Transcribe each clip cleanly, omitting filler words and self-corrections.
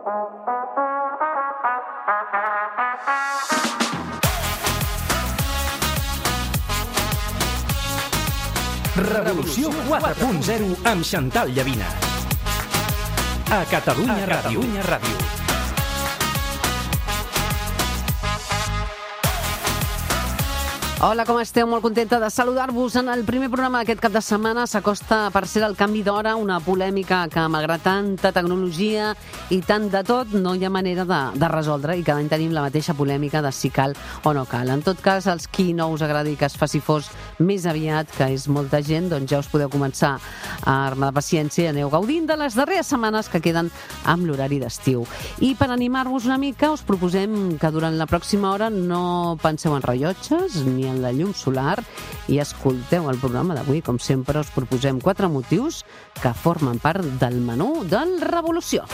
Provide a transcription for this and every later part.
Revolució 4.0 amb Xantal Llavina. A Catalunya Ràdio. Hola, com esteu? Molt contenta de saludar-vos en el primer programa d'aquest cap de setmana. S'acosta per ser el canvi d'hora, una polèmica que malgrat tanta tecnologia i tant de tot no hi ha manera de resoldre, i cada any tenim la mateixa polèmica de si cal o no cal. En tot cas, els qui no us agradi que es faci fos més aviat, que és molta gent, doncs ja us podeu començar a armar de paciència i aneu gaudint de les darreres setmanes que queden amb l'horari d'estiu. I per animar-vos una mica us proposem que durant la pròxima hora no penseu en rellotges ni en la llum solar i escolteu el programa d'avui. Com sempre, us proposem 4 motius que formen part del menú del Revolució.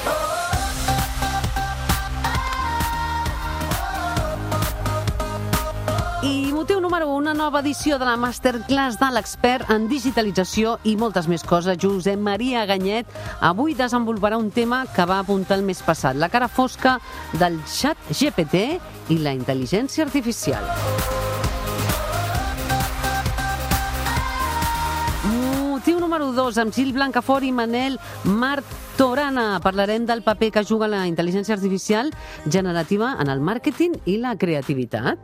I motiu número 1, una nova edició de la Masterclass de l'expert en digitalització i moltes més coses. Josep Maria Ganyet avui desenvoluparà un tema que va apuntar el mes passat, la cara fosca del xat GPT i la intel·ligència artificial. Motiu número 2, amb Gil Blancafort i Manel Martorana. Parlarem del paper que juga la intel·ligència artificial generativa en el màrqueting i la creativitat.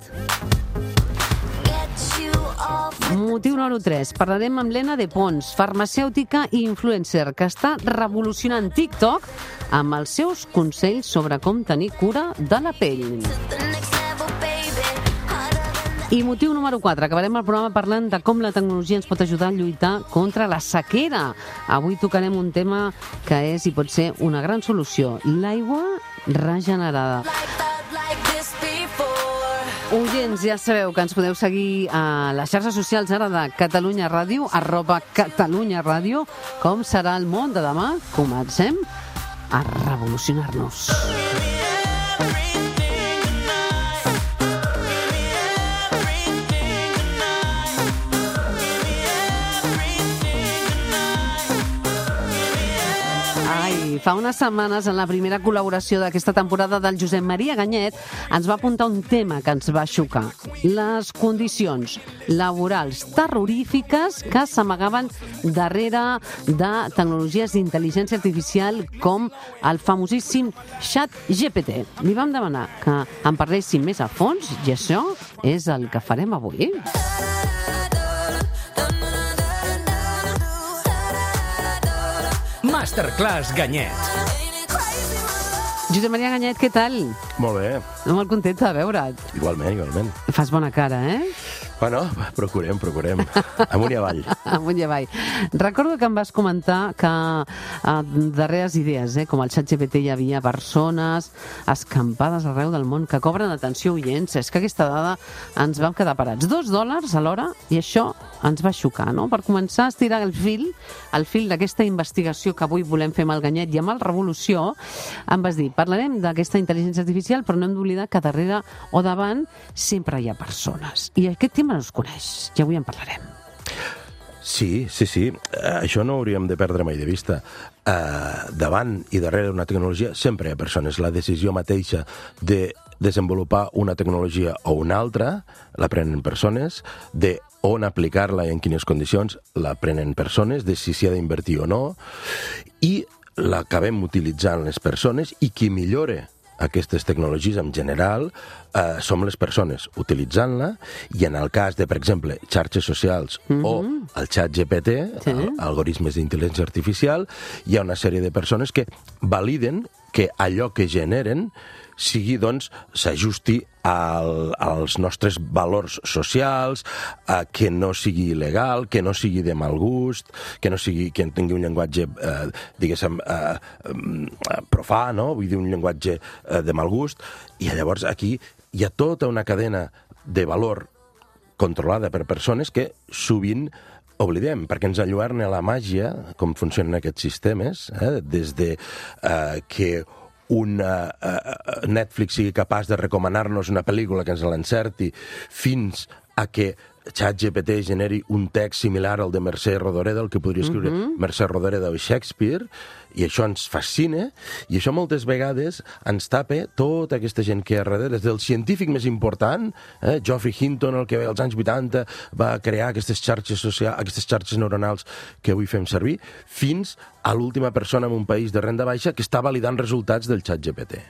Motiu número 3, parlarem amb Lena de Pons, farmacèutica i influencer, que està revolucionant TikTok amb els seus consells sobre com tenir cura de la pell. I motiu número 4, acabarem el programa parlant de com la tecnologia ens pot ajudar a lluitar contra la sequera. Avui tocarem un tema que és i pot ser una gran solució, l'aigua regenerada. Oients, ja sabeu que ens podeu seguir a les xarxes socials ara de Catalunya Ràdio, @Catalunya Ràdio. Com serà el món de demà? Comencem a revolucionar-nos. Fa unes setmanes, en la primera col·laboració d'aquesta temporada del Josep Maria Ganyet, ens va apuntar un tema que ens va xocar. Les condicions laborals terrorífiques que s'amagaven darrere de tecnologies d'intel·ligència artificial com el famosíssim xat GPT. Li vam demanar que en parléssim més a fons i això és el que farem avui. Masterclass Ganyet. Josep Maria Ganyet, què tal? Molt bé. Molt contenta de veure't. Igualment. Fas bona cara, eh? Bueno, procurem. Amunt i avall. Amunt i avall. Recordo que em vas comentar que darreres idees, com el ChatGPT, hi havia persones escampades arreu del món que cobren atenció, oients. És que aquesta dada ens vam quedar parats. $2 a l'hora, i això ens va xocar, no? Per començar a estirar el fil d'aquesta investigació que avui volem fer amb el Ganyet i amb el Revolució, em vas dir, parlarem d'aquesta intel·ligència artificial, però no hem d'oblidar que darrere o davant sempre hi ha persones. I aquest tema no es coneix, i avui en parlarem. Sí. Això no hauríem de perdre mai de vista. Davant i darrere d'una tecnologia sempre hi ha persones. La decisió mateixa de desenvolupar una tecnologia o una altra la prenen persones, de on aplicar-la i en quines condicions la prenen persones, de si s'hi ha d'invertir o no, i l'acabem utilitzant les persones, i qui millora aquestes tecnologies en general som les persones utilitzant-la, i en el cas de, per exemple, xarxes socials o el xat GPT, algoritmes d'intel·ligència artificial, hi ha una sèrie de persones que validen que allò que generen doncs, s'ajusti als nostres valors socials, que no sigui il·legal, que no sigui de mal gust, que tingui un llenguatge, diguéssim, profà, no? Vull dir, un llenguatge de mal gust. I llavors aquí hi ha tota una cadena de valor controlada per persones que sovint oblidem, perquè ens alluerna la màgia, com funcionen aquests sistemes, des de que un Netflix sigui capaç de recomanar-nos una pel·lícula que ens l'encerti, fins a que ChatGPT generi un text similar al de Mercè Rodoreda, el que podria escriure Mercè Rodoreda o Shakespeare, i això ens fascina, i això moltes vegades ens tapa tota aquesta gent que hi ha darrere, des del científic més important, Geoffrey Hinton, el que als anys 80 va crear aquestes xarxes socials, aquestes xarxes neuronals que avui fem servir, fins a l'última persona en un país de renda baixa que està validant resultats del ChatGPT.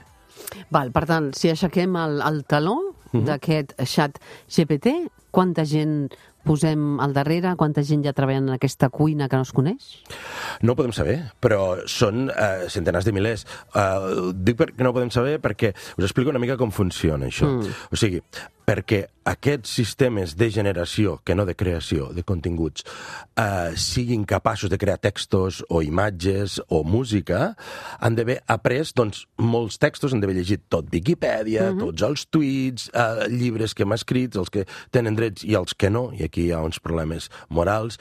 Val, per tant, si aixequem el taló d'aquest xat GPT, quanta gent posem al darrere, quanta gent ja treballant en aquesta cuina que no es coneix? No ho podem saber, però són centenars de milers. Dic que no ho podem saber perquè us explico una mica com funciona això. O sigui, perquè aquests sistemes de generació, que no de creació, de continguts, siguin capaços de crear textos o imatges o música, han d'haver après doncs, molts textos, han d'haver llegit tot Viquipèdia, tots els tuits, llibres que hem escrit, els que tenen drets i els que no, i aquí hi ha uns problemes morals,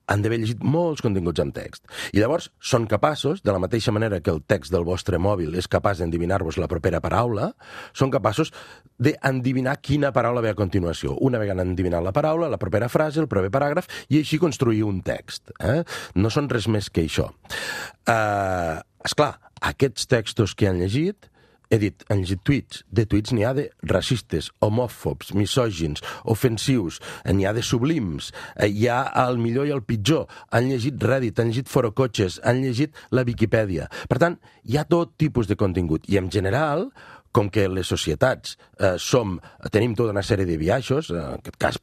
han d'haver llegit molts continguts en text. I llavors són capaços, de la mateixa manera que el text del vostre mòbil és capaç d'endevinar-vos la propera paraula, són capaços d'endevinar quina paraula ve a continuació. Una vegada han endevinat la paraula, la propera frase, el proper paràgraf, i així construir un text. No són res més que això. Esclar, aquests textos que han llegit, he dit, han llegit tuits. De tuits n'hi ha de racistes, homòfobs, misògins, ofensius, n'hi ha de sublims, hi ha el millor i el pitjor. Han llegit Reddit, han llegit Forocotxes, han llegit la Viquipèdia. Per tant, hi ha tot tipus de contingut. I en general, com que les societats tenim tota una sèrie de biaixos, en aquest cas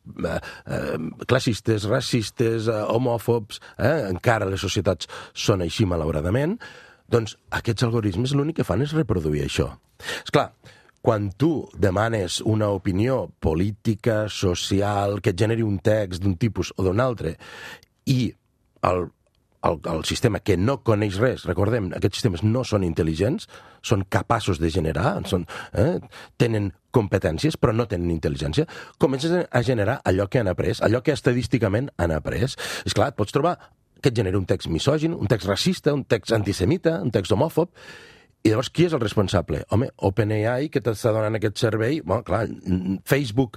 classistes, racistes, homòfobs, encara les societats són així malauradament, doncs aquests algoritmes l'únic que fan és reproduir això. Esclar, quan tu demanes una opinió política, social, que et generi un text d'un tipus o d'un altre, i el sistema que no coneix res, recordem, aquests sistemes no són intel·ligents, són capaços de generar, tenen competències però no tenen intel·ligència, comences a generar allò que han après, allò que estadísticament han après. Esclar, et pots trobar que et genera un text misògin, un text racista, un text antisemita, un text homòfob, i llavors qui és el responsable? Home, OpenAI, que t'està donant aquest servei, bueno, clar, Facebook,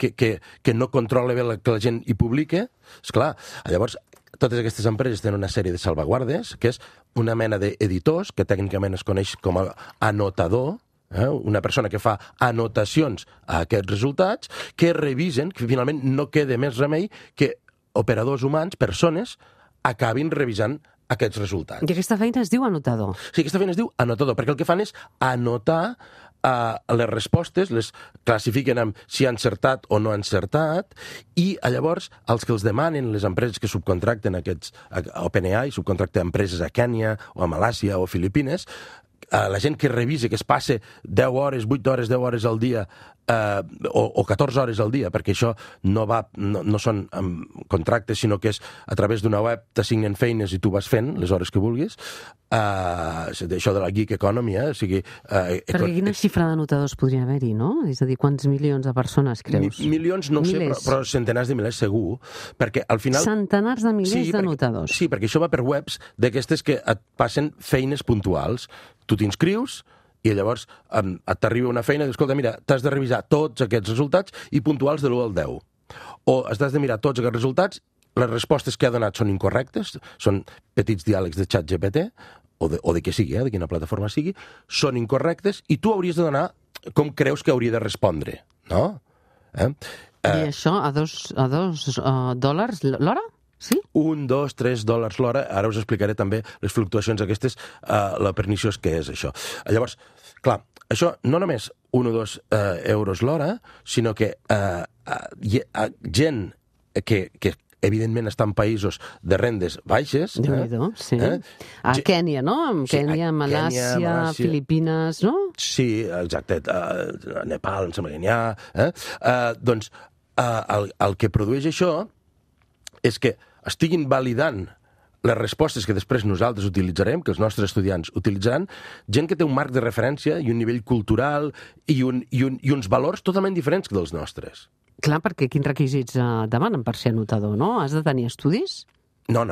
que no controla bé que la gent hi publica, esclar, llavors totes aquestes empreses tenen una sèrie de salvaguardes, que és una mena d'editors, que tècnicament es coneix com a anotador, una persona que fa anotacions a aquests resultats, que revisen, que finalment no queda més remei que operadors humans, persones, acabin revisant aquests resultats. I aquesta feina es diu anotador? Sí, aquesta feina es diu anotador, perquè el que fan és anotar les respostes, les classifiquen amb si han encertat o no han encertat, i llavors els que els demanen, les empreses que subcontracten aquests, OpenAI, subcontracta empreses a Kènia o a Malàisia o a Filipines, la gent que revisa, que es passe 10 hores, 8 hores, 10 hores al dia, o 14 hores al dia, perquè això no són contractes, sinó que és a través d'una web, t'assignen feines i tu vas fent les hores que vulguis, això de la gig economy, o sigui... Perquè quina xifra d'anotadors podria haver-hi, no? És a dir, quants milions de persones creus? Milions no ho sé, però centenars de milers segur, perquè al final... Centenars de milers d'anotadors. Sí, perquè això va per webs d'aquestes que et passen feines puntuals. Tu t'inscrius i llavors t'arriba una feina i dius, escolta, mira, t'has de revisar tots aquests resultats i puntuals de l'1 al 10. O has de mirar tots aquests resultats, les respostes que ha donat són incorrectes, són petits diàlegs de ChatGPT, o de què sigui, de quina plataforma sigui, són incorrectes i tu hauries de donar com creus que hauria de respondre, no? I això a $2 l'hora? Sí? $1, $2, $3 l'hora. Ara us explicaré també les fluctuacions aquestes, la perniciós que és això. Llavors, clar, això no només 1 o 2 euros l'hora, sinó que gent que evidentment està en països de rendes baixes. Déu-n'hi-do, sí. A Kènia, no? Kènia, Malàisia, Filipines, no? Sí, exacte. A Nepal, em sembla que n'hi ha. Doncs el que produeix això és que estiguin validant les respostes que després nosaltres utilitzarem, que els nostres estudiants utilitzaran, gent que té un marc de referència i un nivell cultural i uns valors totalment diferents que dels nostres. Clar, perquè quins requisits demanen per ser anotador, no? Has de tenir estudis? No,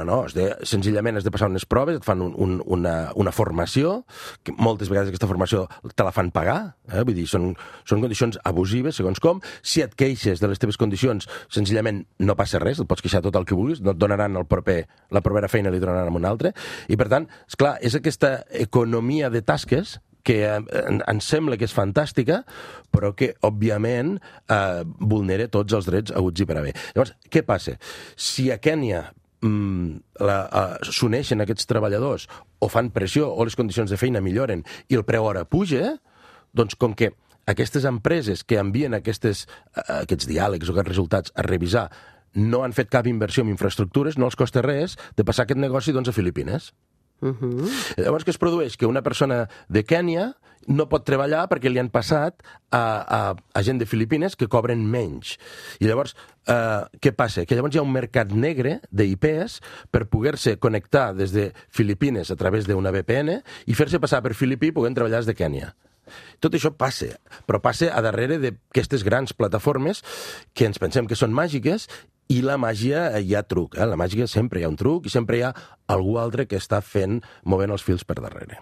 senzillament has de passar unes proves, et fan una formació, que moltes vegades aquesta formació te la fan pagar, vull dir, són condicions abusives, segons com. Si et queixes de les teves condicions, senzillament no passa res, et pots queixar tot el que vulguis, no et donaran la propera feina, li donaran a un altre, i per tant, esclar, és aquesta economia de tasques que ens sembla que és fantàstica, però que, òbviament, vulnera tots els drets haguts i per haver. Llavors, què passa? Si a Kènia s'uneixen aquests treballadors o fan pressió o les condicions de feina milloren i el preu hora puja, doncs com que aquestes empreses que envien aquests diàlegs o aquests resultats a revisar no han fet cap inversió en infraestructures, no els costa res de passar aquest negoci a Filipines. Llavors, què es produeix? Que una persona de Kènia no pot treballar perquè li han passat a gent de Filipines que cobren menys. I llavors, què passa? Que llavors hi ha un mercat negre d'IPs per poder-se connectar des de Filipines a través d'una VPN i fer-se passar per filipí podent treballar des de Kènia. Tot això passa, però passa a darrere d'aquestes grans plataformes que ens pensem que són màgiques. I la màgia hi ha truc, la màgia sempre hi ha un truc i sempre hi ha algú altre que està movent els fils per darrere.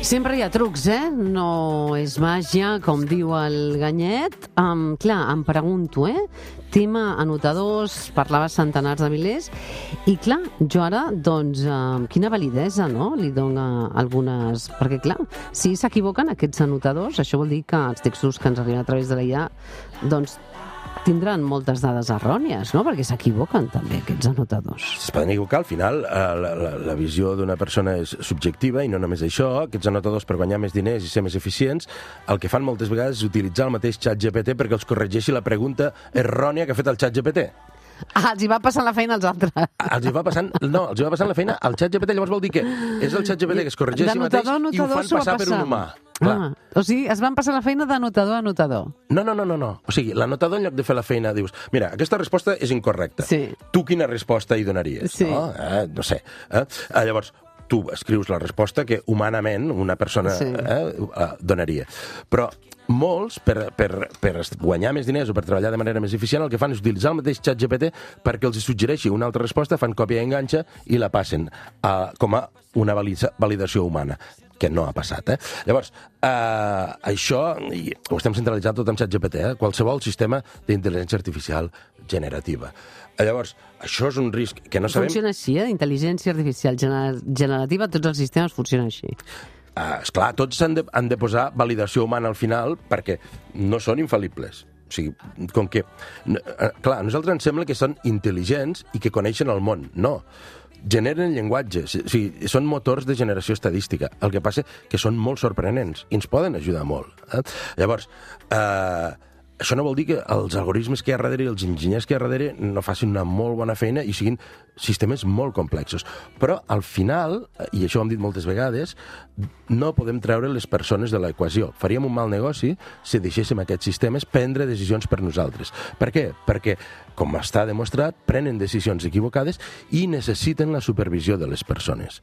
Sempre hi ha trucs, No és màgia, com diu el Ganyet. Clar, em pregunto, tema anotadors, parlava centenars de milers, i clar, jo ara, doncs, quina validesa, no?, li dona algunes... Perquè, clar, si s'equivoquen aquests anotadors, això vol dir que els textos que ens arriben a través de la IA, doncs, tindran moltes dades errònies, no?, perquè s'equivoquen també aquests anotadors. Es poden equivocar, al final la visió d'una persona és subjectiva i no només això. Aquests anotadors, per guanyar més diners i ser més eficients, el que fan moltes vegades és utilitzar el mateix ChatGPT perquè els corregeixi la pregunta errònia que ha fet el ChatGPT. Els hi va passant la feina als altres. Els hi va passant la feina al ChatGPT, llavors vol dir que és el ChatGPT que es corregeixi mateix i ho fan passar per un humà. O sigui, es van passar la feina d'anotador a anotador. No. O sigui, l'anotador, en lloc de fer la feina, dius, mira, aquesta resposta és incorrecta. Sí. Tu quina resposta hi donaries? Sí. No sé. Llavors, tu escrius la resposta que humanament una persona donaria. Però molts, per guanyar més diners o per treballar de manera més eficient, el que fan és utilitzar el mateix ChatGPT perquè els suggereixi una altra resposta, fan còpia i enganxa i la passen com a una validació humana, que no ha passat. Llavors, això ho estem centralitzant tot amb ChatGPT, qualsevol sistema d'intel·ligència artificial generativa. Llavors, això és un risc que no sabem... Funciona així, d'intel·ligència artificial generativa, tots els sistemes funcionen així. Esclar, tots han de posar validació humana al final perquè no són infal·libles. O sigui, com que... Clar, a nosaltres ens sembla que són intel·ligents i que coneixen el món. No. Generen llenguatge. O sigui, són motors de generació estadística. El que passa que són molt sorprenents i ens poden ajudar molt. Llavors, això no vol dir que els algoritmes que hi ha darrere i els enginyers que hi ha darrere no facin una molt bona feina i siguin sistemes molt complexos. Però, al final, i això ho hem dit moltes vegades, no podem treure les persones de l'equació. Faríem un mal negoci si deixéssim aquests sistemes prendre decisions per nosaltres. Per què? Perquè, com està demostrat, prenen decisions equivocades i necessiten la supervisió de les persones.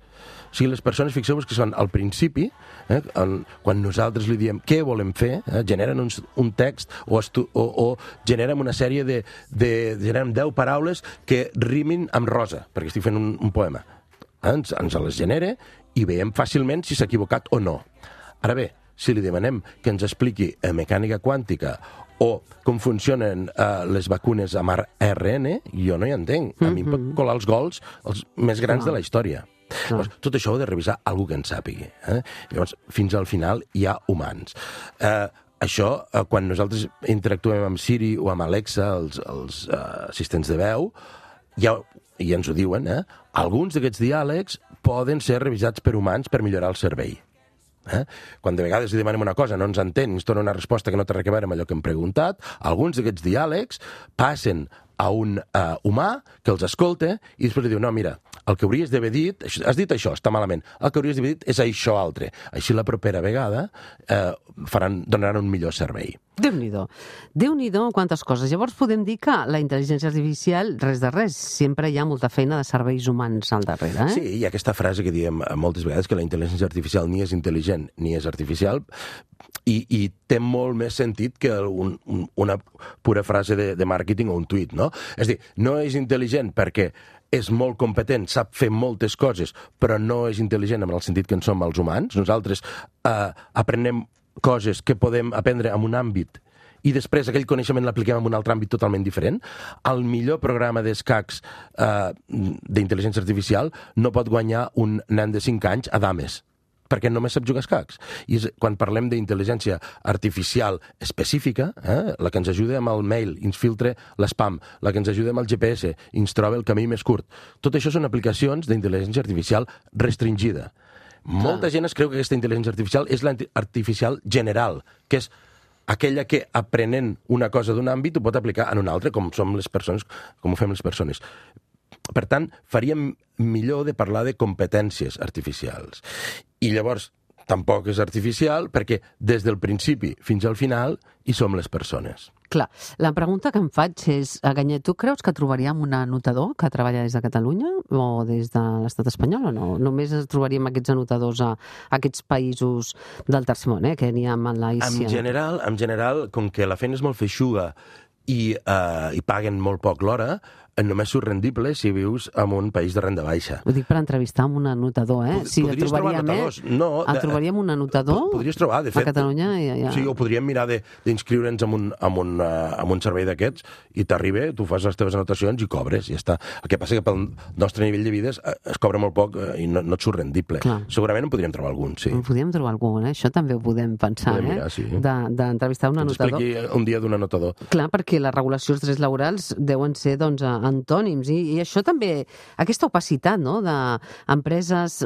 O sigui, les persones, fixeu-vos que són al principi, quan nosaltres li diem què volem fer, generen un text o generen una sèrie generen 10 paraules que rimin amb rosa, perquè estic fent un poema. Ens les genera i veiem fàcilment si s'ha equivocat o no. Ara bé, si li demanem que ens expliqui mecànica quàntica o com funcionen les vacunes amb ARN, jo no hi entenc. A mi em pot colar els gols els més grans de la història. Llavors, tot això ho ha de revisar algú que en sàpigui. Llavors, fins al final hi ha humans. Això, quan nosaltres interactuem amb Siri o amb Alexa, els assistents de veu, ja ens ho diuen, alguns d'aquests diàlegs poden ser revisats per humans per millorar el servei. Quan de vegades li demanem una cosa, no ens entén, ens dona una resposta que no té res a veure amb allò que hem preguntat, alguns d'aquests diàlegs passen a un humà que els escolta i després li diu, no, mira, el que hauries d'haver dit, has dit això, està malament, el que hauries d'haver dit és això altre. Així la propera vegada donaran un millor servei. Déu-n'hi-do. Déu-n'hi-do quantes coses. Llavors podem dir que la intel·ligència artificial, res de res, sempre hi ha molta feina de serveis humans al darrere, Sí, hi ha aquesta frase que diem moltes vegades, que la intel·ligència artificial ni és intel·ligent ni és artificial, i té molt més sentit que una pura frase de màrqueting o un tuit, no? És a dir, no és intel·ligent perquè és molt competent, sap fer moltes coses, però no és intel·ligent en el sentit que en som els humans. Nosaltres aprenem coses que podem aprendre en un àmbit i després aquell coneixement l'apliquem en un altre àmbit totalment diferent. El millor programa d'escacs d'intel·ligència artificial no pot guanyar un nen de 5 anys a dames, perquè només sap jugar a escacs. I quan parlem d'intel·ligència artificial específica, la que ens ajuda amb el mail, ens filtra l'espam, la que ens ajuda amb el GPS, ens troba el camí més curt. Tot això són aplicacions d'intel·ligència artificial restringida. Molta gent es creu que aquesta intel·ligència artificial és l'artificial general, que és aquella que, aprenent una cosa d'un àmbit, ho pot aplicar en un altre, com som les persones, com ho fem les persones. Per tant, faríem millor de parlar de competències artificials. I llavors, tampoc és artificial, perquè des del principi fins al final hi som les persones. Clar, la pregunta que em faig és, Ganyet, tu creus que trobaríem un anotador que treballa des de Catalunya o des de l'estat espanyol o no? Només trobaríem aquests anotadors a aquests països del tercer món, que n'hi ha a Malàisia? En general, com que la feina és molt feixuga i paguen molt poc l'hora, només surt rendible si vius en un país de renda baixa. Ho dic per entrevistar amb un anotador, Si el trobaríem, el trobaríem un anotador? Podries trobar, de fet. A Catalunya ja. Sí, o podríem mirar d'inscriure'ns en un servei d'aquests i t'arriba, tu fas les teves anotacions i cobres, i ja està. El que passa que pel nostre nivell de vida es cobra molt poc i no et surt rendible. Clar. Segurament en podríem trobar algun, sí. En podríem trobar algun, Això també ho podem pensar, podem mirar, sí. D'entrevistar un anotador. Ens expliqui un dia d'un anotador. Clar, perquè la regulació dels drets laborals deuen ser, antònims, i això també, aquesta opacitat, d'empreses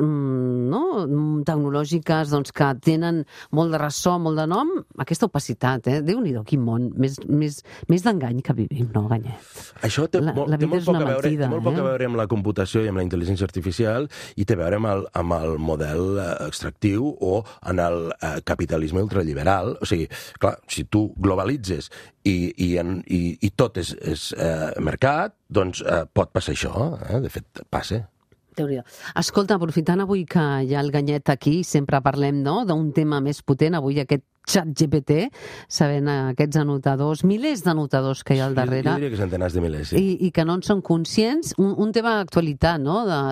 tecnològiques, que tenen molt de ressò, molt de nom, aquesta opacitat, Déu-n'hi-do, quin món, més d'engany que vivim, no, Ganyet? Això té molt poc a veure amb la computació i amb la intel·ligència artificial, i té a veure amb el model extractiu o en el capitalisme ultraliberal. O sigui, clar, si tu globalitzes i tot és mercat, doncs pot passar això. De fet, passa. Déu-n'hi-do. Escolta, aprofitant avui que hi ha el Ganyet aquí, sempre parlem d'un tema més potent, avui aquest ChatGPT, sabent aquests anotadors, milers d'anotadors que hi ha al darrere. Jo diria que centenars de milers, sí. I que no en són conscients. Un tema d'actualitat,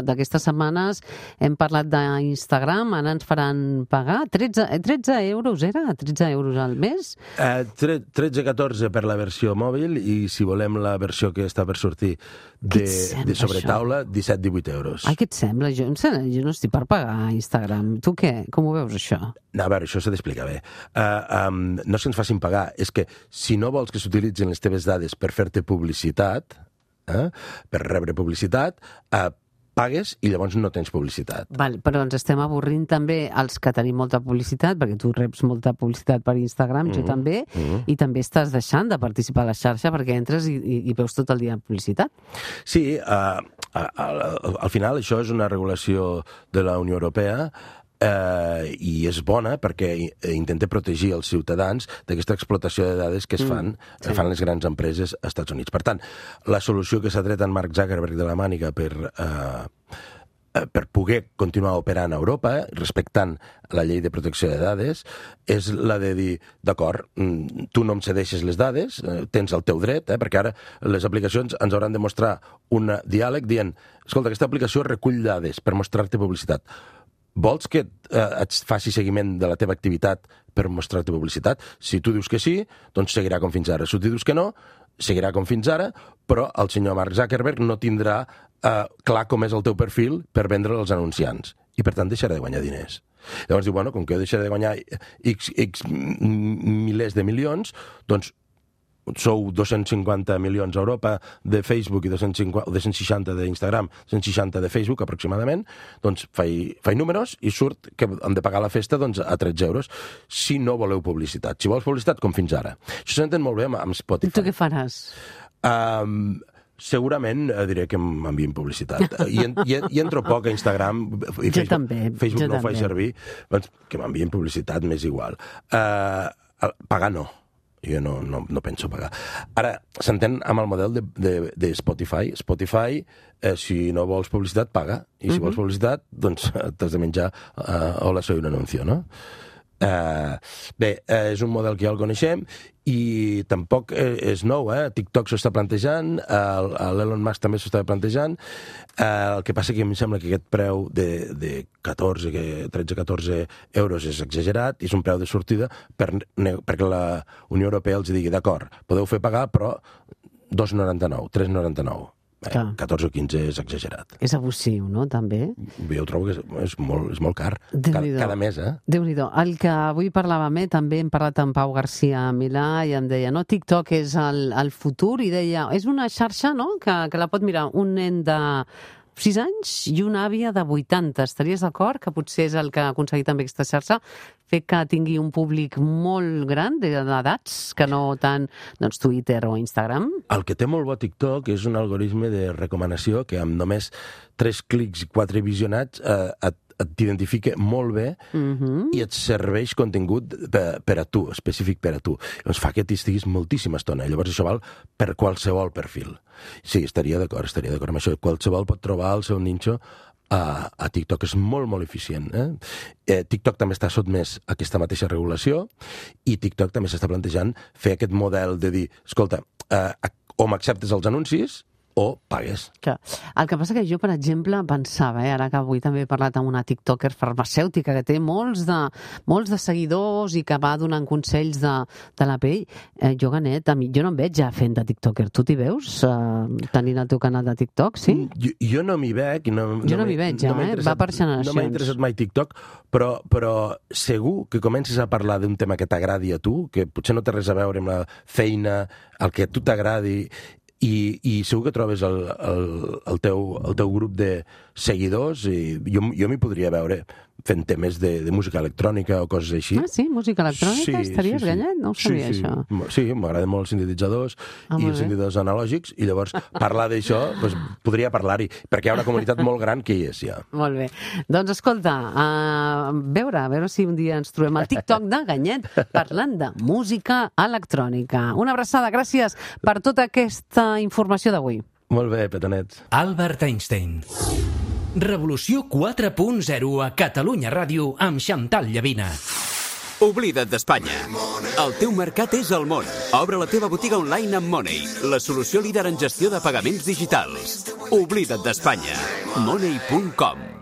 d'aquestes setmanes hem parlat d'Instagram, ara ens faran pagar 13 euros, era? 13 euros al mes? 13-14 per la versió mòbil, i si volem la versió que està per sortir de sobretaula, 17-18 euros. Ai, què et sembla? Jo no estic per pagar Instagram. Tu què? Com ho veus, això? No, a veure, això s'ha d'explicar bé. No és que ens facin pagar, és que si no vols que s'utilitzin les teves dades per fer-te publicitat, per rebre publicitat, pagues i llavors no tens publicitat. Val, però ens estem avorrint també els que tenim molta publicitat, perquè tu reps molta publicitat per Instagram, jo també, i també estàs deixant de participar a la xarxa perquè entres i veus tot el dia publicitat. Sí, al final això és una regulació de la Unió Europea, i és bona perquè intenta protegir els ciutadans d'aquesta explotació de dades que fan les grans empreses als Estats Units. Per tant, la solució que s'ha tret en Mark Zuckerberg de la màniga per poder continuar operant a Europa, respectant la llei de protecció de dades, és la de dir, d'acord, tu no em cedeixes les dades, tens el teu dret, perquè ara les aplicacions ens hauran de mostrar un diàleg dient, escolta, aquesta aplicació recull dades per mostrar-te publicitat. Vols que et faci seguiment de la teva activitat per mostrar-te publicitat? Si tu dius que sí, doncs seguirà com fins ara. Si tu dius que no, seguirà com fins ara, però el senyor Mark Zuckerberg no tindrà clar com és el teu perfil per vendre als anunciants. I, per tant, deixarà de guanyar diners. Llavors diu, bueno, com que jo deixaré de guanyar X milers de milions, doncs sou 250 milions a Europa de Facebook i 260 d'Instagram, 260 de Facebook aproximadament, doncs faig números i surt que hem de pagar la festa a 13 euros si no voleu publicitat. Si vols publicitat, com fins ara. Això s'entén molt bé amb Spotify. Tu què faràs? Segurament diré que m'envien publicitat. I entro poc a Instagram i Facebook no ho faig servir, doncs que m'envien publicitat m'és igual. Pagar no. Jo no penso pagar. Ara, s'entén amb el model de Spotify. Spotify, si no vols publicitat, paga. I si vols publicitat, doncs t'has de menjar hola, soy un anuncio, no? Bé, és un model que ja el coneixem i tampoc és nou, TikTok s'ho està plantejant, l'Elon Musk també s'ho està plantejant. El que passa que em sembla que aquest preu de 13-14 euros és exagerat i és un preu de sortida perquè la Unió Europea els digui, d'acord, podeu fer pagar, però 2,99, 3,99. 14 o 15 és exagerat. És abusiu, no, també? Jo trobo que és molt car. Cada mes, Déu-n'hi-do. El que avui parlàvem, també hem parlat amb Pau García Milà i em deia, no, TikTok és el futur, i deia, és una xarxa, no?, que la pot mirar un nen de 6 anys i una àvia de 80. Estaries d'acord que potser és el que ha aconseguit també aquesta xarxa, fer que tingui un públic molt gran d'edats, que no tant Twitter o Instagram? El que té molt bo TikTok és un algoritme de recomanació que amb només 3 clics i 4 visionats t'identifica molt bé i et serveix contingut per a tu, específic per a tu. Llavors fa que t'hi estiguis moltíssima estona. Llavors això val per qualsevol perfil. Sí, estaria d'acord amb això. Qualsevol pot trobar el seu ninxo a TikTok. És molt, molt eficient. TikTok també està sotmès a aquesta mateixa regulació i TikTok també s'està plantejant fer aquest model de dir, escolta, o m'acceptes els anuncis o pagues. Clar. El que passa que jo, per exemple, pensava, ara que avui també he parlat amb una tiktoker farmacèutica que té molts de seguidors i que va donant consells de la pell, jo, Ganet, jo no em veig ja fent de tiktoker. Tu t'hi veus tenint el teu canal de TikTok, sí? Jo no m'hi veig. Jo no m'hi veig ja, va per generacions. No m'ha interessat mai TikTok, però segur que comences a parlar d'un tema que t'agradi a tu, que potser no té res a veure amb la feina, el que a tu t'agradi, i segur que trobes el teu grup de seguidors i jo m'hi podria veure fent temes de música electrònica o coses així. Ah, sí? Música electrònica? Estaries Ganet? No ho sabia, això. Sí, m'agraden molt els sintetitzadors i els sintetitzadors analògics, i llavors parlar d'això, podria parlar-hi, perquè hi ha una comunitat molt gran que hi és, ja. Molt bé. Doncs escolta, a veure si un dia ens trobem al TikTok de Ganet parlant de música electrònica. Una abraçada, gràcies per tota aquesta informació d'avui. Molt bé, petonets. Albert Einstein. Revolució 4.0 a Catalunya Ràdio amb Xantal Llavina. Oblida't d'Espanya. El teu mercat és el món. Obre la teva botiga online amb Money, la solució líder en gestió de pagaments digitals. Oblida't d'Espanya. Money.com.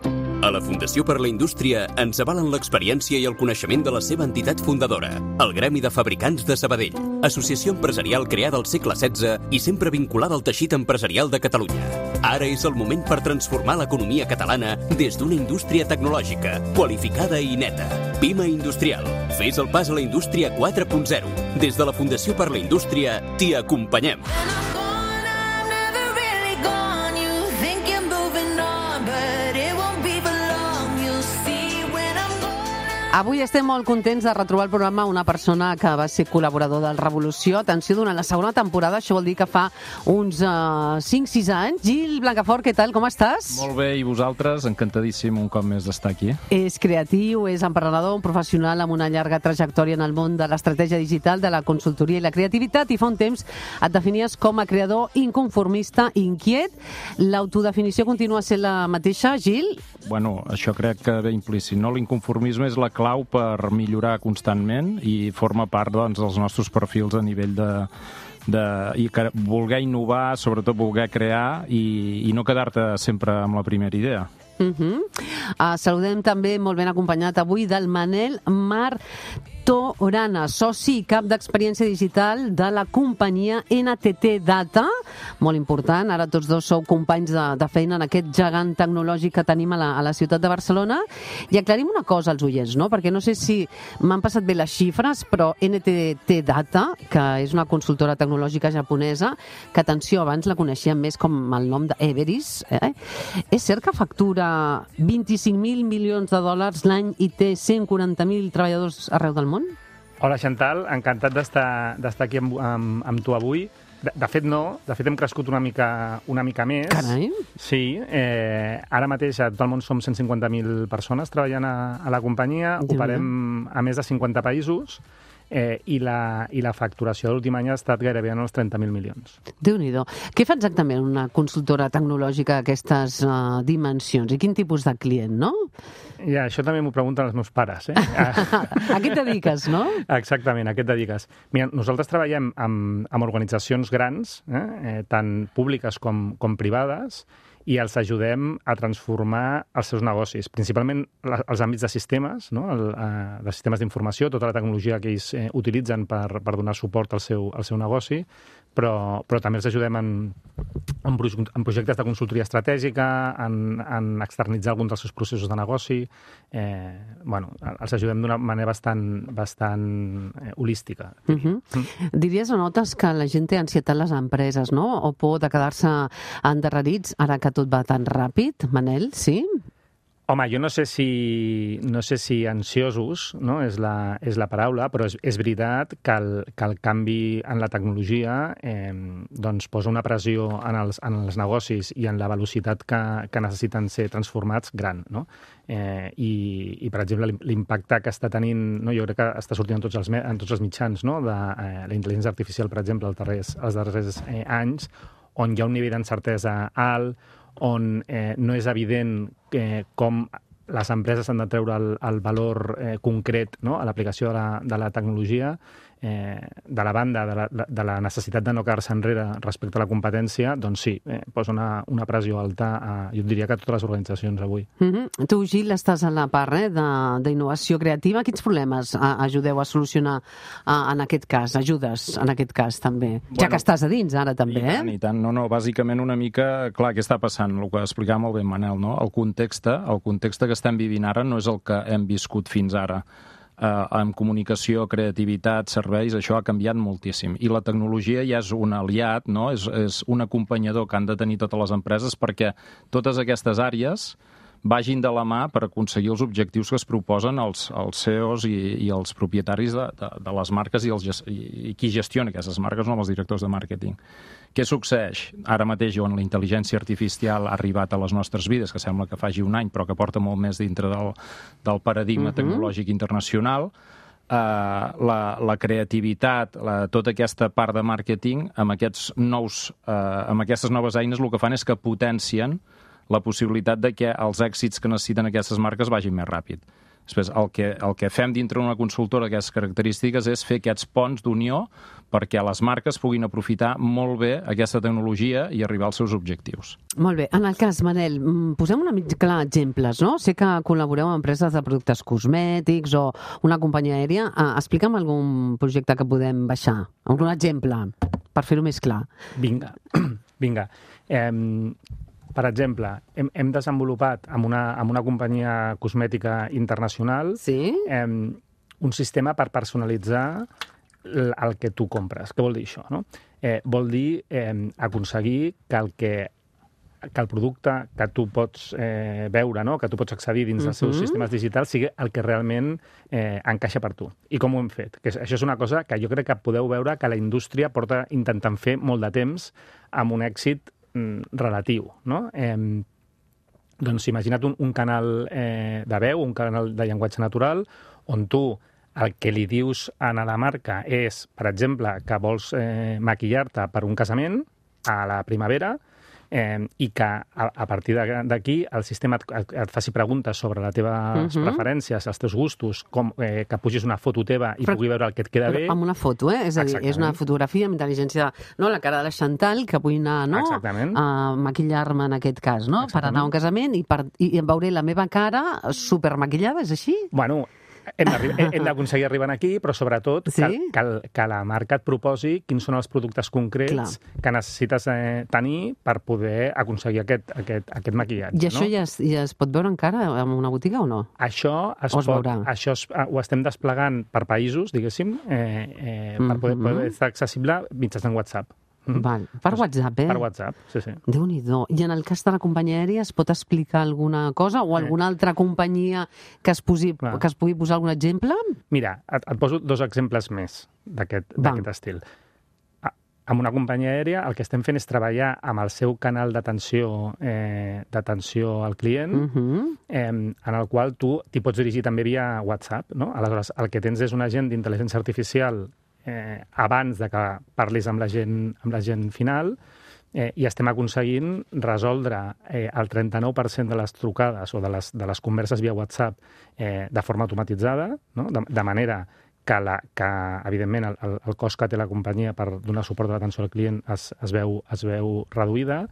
A la Fundació per la Indústria ens avalen l'experiència i el coneixement de la seva entitat fundadora, el Gremi de Fabricants de Sabadell, associació empresarial creada al segle XVI i sempre vinculada al teixit empresarial de Catalunya. Ara és el moment per transformar l'economia catalana des d'una indústria tecnològica, qualificada i neta. Pima Industrial. Fes el pas a la indústria 4.0. Des de la Fundació per la Indústria t'hi acompanyem. Avui estem molt contents de retrobar al programa una persona que va ser col·laborador del Revolució. Atenció, durant la segona temporada, això vol dir que fa uns 5-6 anys. Gil Blancafort, què tal, com estàs? Molt bé, i vosaltres? Encantadíssim un cop més d'estar aquí. És creatiu, és emprenedor, un professional amb una llarga trajectòria en el món de l'estratègia digital, de la consultoria i la creativitat, i fa un temps et definies com a creador inconformista, inquiet. L'autodefinició continua sent la mateixa, Gil? Bueno, això crec que ve implícit, no? L'inconformisme és la clau per millorar constantment i forma part, doncs, dels nostres perfils a nivell i voler innovar, sobretot voler crear i no quedar-te sempre amb la primera idea. Saludem també, molt ben acompanyat avui, del Manel Martorana, soci i cap d'experiència digital de la companyia NTT Data. Molt important, ara tots dos sou companys de feina en aquest gegant tecnològic que tenim a la ciutat de Barcelona. I aclarim una cosa als oients, no? Perquè no sé si m'han passat bé les xifres, però NTT Data, que és una consultora tecnològica japonesa, que, atenció, abans la coneixíem més com el nom d'Everis, és cert que factura 25.000 milions de dòlars l'any i té 140.000 treballadors arreu del món? Hola, Xantal, encantat d'estar aquí amb tu avui. De fet, no. De fet, hem crescut una mica més. Carai. Sí. Ara mateix a tot el món som 150.000 persones treballant a la companyia. Operem a més de 50 països. I la facturació de l'últim any ha estat gairebé en els 30.000 milions. Déu-n'hi-do. Què fa exactament una consultora tecnològica d'aquestes dimensions? I quin tipus de client, no? Ja, això també m'ho pregunten els meus pares. A què et dediques, no? Exactament, a què et dediques? Mira, nosaltres treballem amb organitzacions grans, tant públiques com privades, i els ajudem a transformar els seus negocis, principalment els àmbits de sistemes, no? De sistemes d'informació, tota la tecnologia que ells utilitzen per donar suport al seu negoci, però també els ajudem en projectes de consultoria estratègica, en externitzar alguns dels seus processos de negoci. Els ajudem d'una manera bastant holística. Diries o notes que la gent té ansietat a les empreses, no? O por de quedar-se endarrerits ara que tot va tan ràpid, Manel, sí? Home, jo no sé si ansiosos, no? és la paraula, però és veritat que el canvi en la tecnologia doncs posa una pressió en els negocis i en la velocitat que necessiten ser transformats gran, no? I per exemple, l'impacte que està tenint, no? Jo crec que està sortint en tots els mitjans, no? De la intel·ligència artificial, per exemple, els darrers anys, on hi ha un nivell d'incertesa alt, on no és evident com les empreses han de treure el valor concret, no? A l'aplicació de la tecnologia, de la banda de la necessitat de no quedar-se enrere respecte a la competència, doncs sí, posa una pressió alta, jo diria que a totes les organitzacions avui. Tu, Gil, estàs a la part d'innovació creativa. Quins problemes ajudeu a solucionar en aquest cas? Ajudes en aquest cas també? Ja que estàs a dins ara també, I tant. No, bàsicament una mica, clar, què està passant? El que explicava molt bé Manel, no? El context que estem vivint ara no és el que hem viscut fins ara. Amb comunicació, creativitat, serveis, això ha canviat moltíssim. I la tecnologia ja és un aliat, no? És un acompanyador que han de tenir totes les empreses perquè totes aquestes àrees vagin de la mà per aconseguir els objectius que es proposen els CEOs i els propietaris de les marques i qui gestiona aquestes marques, no els directors de màrqueting. Què succeeix? Ara mateix, on la intel·ligència artificial ha arribat a les nostres vides, que sembla que faci un any, però que porta molt més dintre del paradigma tecnològic internacional, la creativitat, tota aquesta part de màrqueting, amb aquestes noves eines el que fan és que potencien la possibilitat de que els èxits que necessiten aquestes marques vagin més ràpid. Després, el que fem dintre d'una consultora d'aquestes característiques és fer aquests ponts d'unió perquè les marques puguin aprofitar molt bé aquesta tecnologia i arribar als seus objectius. Molt bé. En el cas, Manel, posem una mica clar exemples, no? Sé que col·laboreu amb empreses de productes cosmètics o una companyia aèria. Explica'm algun projecte que podem baixar. Un exemple, per fer-ho més clar. Vinga. Per exemple, hem desenvolupat amb una companyia cosmètica internacional un sistema per personalitzar el que tu compres. Què vol dir això? No? Vol dir aconseguir que el producte que tu pots veure, no? Que tu pots accedir dins dels seus sistemes digitals sigui el que realment encaixa per tu. I com ho hem fet? Això és una cosa que jo crec que podeu veure que la indústria porta intentant fer molt de temps amb un èxit relatiu, no? Doncs imagina't un canal de veu, un canal de llenguatge natural, on tu el que li dius a la marca és, per exemple, que vols maquillar-te per un casament a la primavera, i que a partir d'aquí el sistema et faci preguntes sobre les teves preferències, els teus gustos, que pugis una foto teva i pugui veure el que et queda bé. Amb una foto, És a dir, és una fotografia amb intel·ligència, no? La cara de la Chantal, que vull anar, no? A maquillar-me en aquest cas, no? Per anar a un casament i em veuré la meva cara supermaquillada, és així? Bueno, hem d'aconseguir arribar aquí, però sobretot que la marca et proposi quins són els productes concrets que necessites tenir per poder aconseguir aquest maquillatge. I això ja es pot veure encara en una botiga o no? Això ho estem desplegant per països, diguéssim, per poder estar accessible mitjançant WhatsApp. Val. Per WhatsApp, Per WhatsApp, sí. Déu-n'hi-do. I en el cas de la companyia aèria es pot explicar alguna cosa o alguna altra companyia que es pugui posar algun exemple? Mira, et poso 2 exemples més d'aquest estil. amb una companyia aèria el que estem fent és treballar amb el seu canal d'atenció al client, en el qual tu t'hi pots dirigir també via WhatsApp, no? Aleshores, el que tens és un agent d'intel·ligència artificial abans de que parlis amb la gent final, i estem aconseguint resoldre el 39% de les trucades o de les converses via WhatsApp de forma automatitzada, no? De manera que evidentment, el cost que té la companyia per donar suport a l'atenció al client es veu reduïda,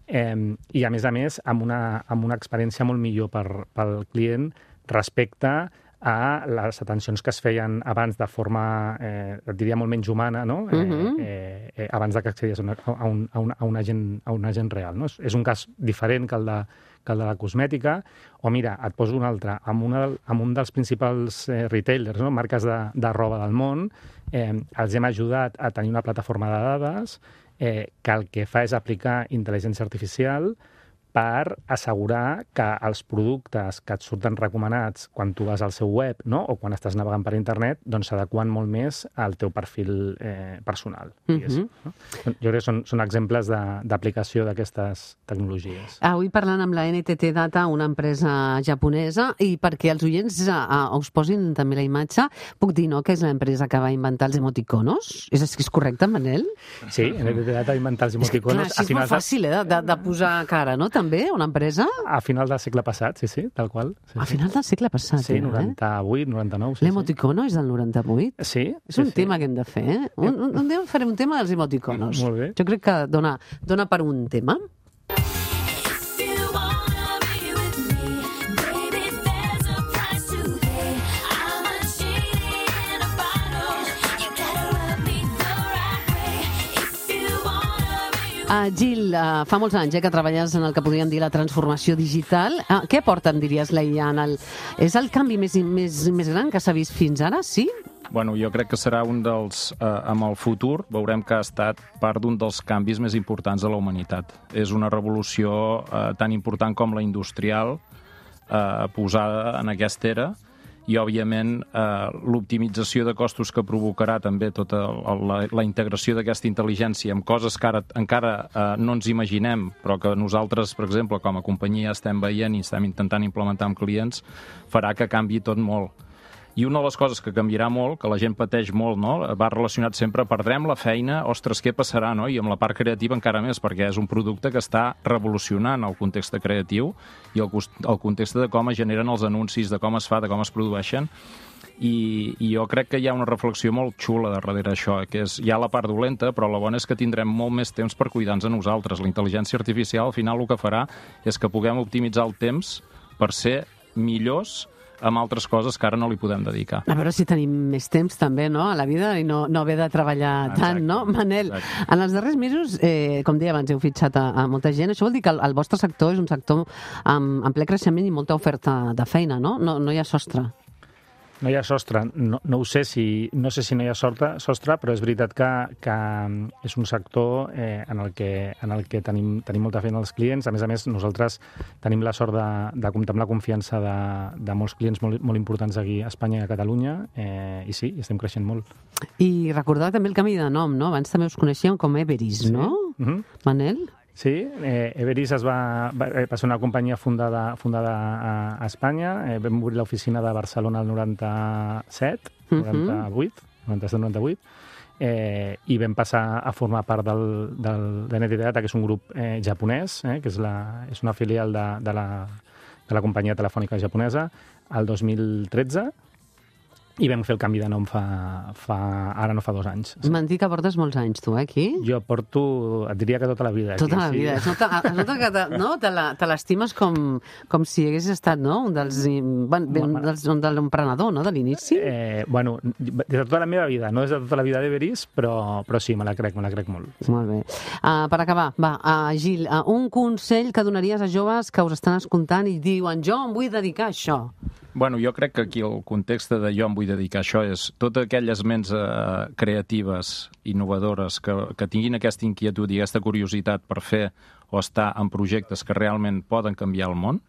i, a més, amb una experiència molt millor pel client respecte a les atencions que es feien abans de forma, et diria, molt menys humana, no? Abans que accedis a un agent real. No? És un cas diferent que el de la cosmètica, o mira, et poso un altre, amb un dels principals retailers, no? Marques de roba del món, els hem ajudat a tenir una plataforma de dades que el que fa és aplicar intel·ligència artificial per assegurar que els productes que et surten recomanats quan tu vas al seu web, no? O quan estàs navegant per internet, doncs s'adequen molt més al teu perfil personal. No? Jo crec que són exemples d'aplicació d'aquestes tecnologies. Avui parlant amb la NTT Data, una empresa japonesa, i perquè els oients us posin també la imatge, puc dir, no?, que és l'empresa que va inventar els emoticonos? És correcte, Manel? Sí, NTT Data va inventar els emoticonos. Clar, és molt fàcil, de posar cara, no?, també, una empresa? A final del segle passat, sí, tal qual. Sí, a final del segle passat, sí, 98, 99. Sí, l'emoticono és del 98? Sí. És un tema que hem de fer, eh? Un dia farem un tema dels emoticonos. Molt bé. Jo crec que dona per un tema. Gil, fa molts anys que treballes en el que podríem dir la transformació digital. Què aporta, em diries, la IA? És el canvi més gran que s'ha vist fins ara, sí? Bueno, jo crec que serà un dels... amb el futur veurem que ha estat part d'un dels canvis més importants de la humanitat. És una revolució tan important com la industrial posada en aquesta era, i, òbviament, l'optimització de costos que provocarà també tota la integració d'aquesta intel·ligència amb coses que ara encara no ens imaginem, però que nosaltres, per exemple, com a companyia estem veient i estem intentant implementar amb clients, farà que canvi tot molt. I una de les coses que canviarà molt, que la gent pateix molt, no? Va relacionat sempre, perdrem la feina, ostres, què passarà, no? I amb la part creativa encara més, perquè és un producte que està revolucionant el context creatiu i el context de com es generen els anuncis, de com es fa, de com es produeixen. I jo crec que hi ha una reflexió molt xula darrere això, que hi ha la part dolenta, però la bona és que tindrem molt més temps per cuidar-nos a nosaltres. La intel·ligència artificial, al final, el que farà és que puguem optimitzar el temps per ser millors amb altres coses que ara no li podem dedicar. A veure si tenim més temps també, no?, a la vida i no haver de treballar tant, no? Manel, en els darrers mesos, com deia abans, heu fitxat a molta gent. Això vol dir que el vostre sector és un sector amb ple creixement i molta oferta de feina, no? No hi ha sostre. No hi ha sostre. No ho sé no sé si no hi ha sostre, però és veritat que és un sector en el que tenim molta feina als clients. A més, nosaltres tenim la sort de comptar amb la confiança de molts clients molt importants aquí a Espanya i a Catalunya, i sí, estem creixent molt. I recordar també el canvi de nom, no? Abans també us coneixíem com Everis, no? Manel? Sí, Everis va ser una companyia fundada a Espanya. Vam obrir l'oficina de Barcelona el 97, 97-98, i vam passar a formar part de NTT Data, que és un grup japonès, que és una filial de la companyia telefònica japonesa, el 2013, i vam fer el canvi de nom ara no fa 2 anys. M'han dit que portes molts anys, tu, aquí? Jo porto, et diria que tota la vida. Tota la vida. Es nota que te l'estimes com si haguessis estat, no?, un de l'emprenedor, no?, de l'inici. Bueno, des de tota la meva vida, no des de tota la vida d'Everis, però sí, me la crec molt. Molt bé. Per acabar, Gil, un consell que donaries a joves que us estan escoltant i diuen, jo em vull dedicar a això. Bueno, jo crec que aquí el context de jo em vull dedicar a això és totes aquelles ments creatives, innovadores, que tinguin aquesta inquietud i aquesta curiositat per fer o estar en projectes que realment poden canviar el món,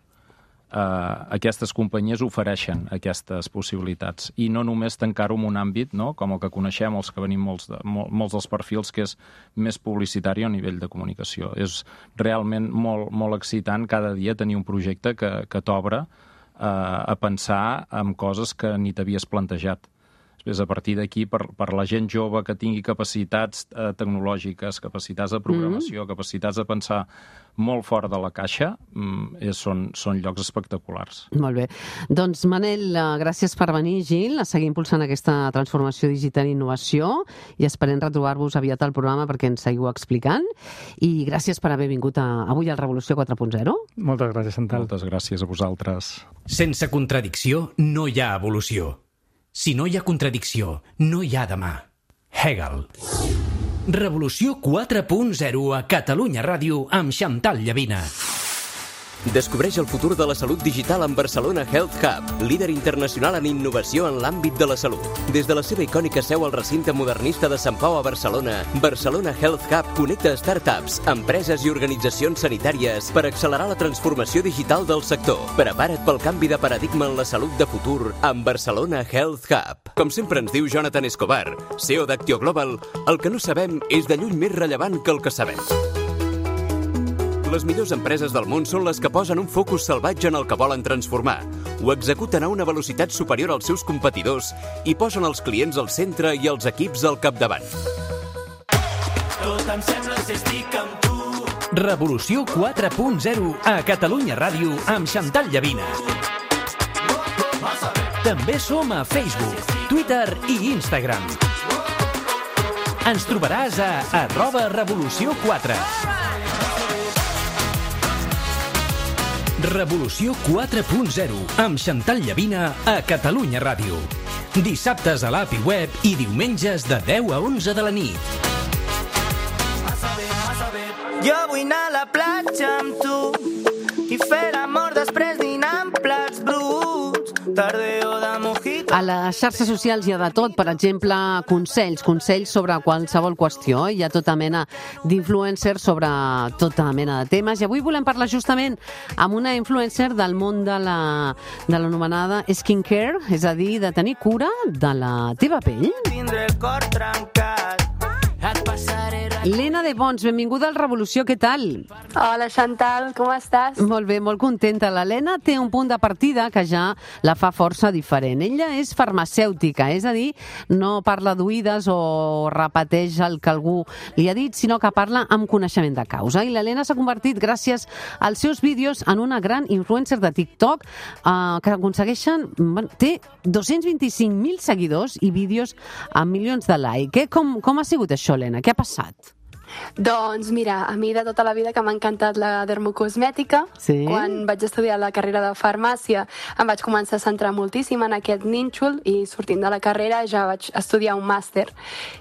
aquestes companyies ofereixen aquestes possibilitats. I no només tancar-ho en un àmbit, no?, com el que coneixem, els que venim molts dels perfils, que és més publicitari a nivell de comunicació. És realment molt excitant cada dia tenir un projecte que t'obre a pensar en coses que ni t'havies plantejat. Després, a partir d'aquí, per la gent jove que tingui capacitats tecnològiques, capacitats de programació, capacitats de pensar molt fora de la caixa, són llocs espectaculars. Molt bé. Doncs, Manel, gràcies per venir, Gil, a seguir impulsant aquesta transformació digital i innovació, i esperem retrobar-vos aviat al programa perquè ens seguiu explicant. I gràcies per haver vingut avui al Revolució 4.0. Moltes gràcies, Chantal. Moltes gràcies a vosaltres. Sense contradicció no hi ha evolució. Si no hi ha contradicció, no hi ha demà. Hegel. Revolució 4.0 a Catalunya Ràdio amb Chantal Llavina. Descobreix el futur de la salut digital amb Barcelona Health Hub, líder internacional en innovació en l'àmbit de la salut. Des de la seva icònica seu al recinte modernista de Sant Pau a Barcelona, Barcelona Health Hub connecta startups, empreses i organitzacions sanitàries per accelerar la transformació digital del sector. Prepara't pel canvi de paradigma en la salut de futur amb Barcelona Health Hub. Com sempre ens diu Jonathan Escobar, CEO d'Actio Global, el que no sabem és de lluny més rellevant que el que sabem. Les millors empreses del món són les que posen un focus salvatge en el que volen transformar, ho executen a una velocitat superior als seus competidors i posen els clients al centre i els equips al capdavant. Tot em sembla si estic amb tu. Revolució 4.0 a Catalunya Ràdio amb Chantal Llavina. També som a Facebook, Twitter i Instagram. Ens trobaràs a @revolució4. Revolució 4.0 amb Chantal Llavina a Catalunya Ràdio. Dissabtes a l'app i web i diumenges de 10 a 11 de la nit. Jo vull anar a la platja amb tu i fer l'amor després dinar amb plats bruts. Tardeo de mojito. A les xarxes socials hi ha de tot, per exemple, consells sobre qualsevol qüestió. Hi ha tota mena d'influencers sobre tota mena de temes. I avui volem parlar justament amb una influencer del món de l'anomenada skincare, és a dir, de tenir cura de la teva pell. Tindré el cor trencat. Lena de Bons, benvinguda al Revolució, què tal? Hola, Chantal, com estàs? Molt bé, molt contenta. La Lena té un punt de partida que ja la fa força diferent. Ella és farmacèutica, és a dir, no parla d'oïdes o repeteix el que algú li ha dit, sinó que parla amb coneixement de causa. I la Lena s'ha convertit, gràcies als seus vídeos, en una gran influencer de TikTok que aconsegueixen... Té 225.000 seguidors i vídeos amb milions de like. Com ha sigut això, Lena? Què ha passat? Doncs mira, a mi de tota la vida que m'ha encantat la dermocosmètica, sí? Quan vaig estudiar la carrera de farmàcia em vaig començar a centrar moltíssim en aquest nínxol i sortint de la carrera ja vaig estudiar un màster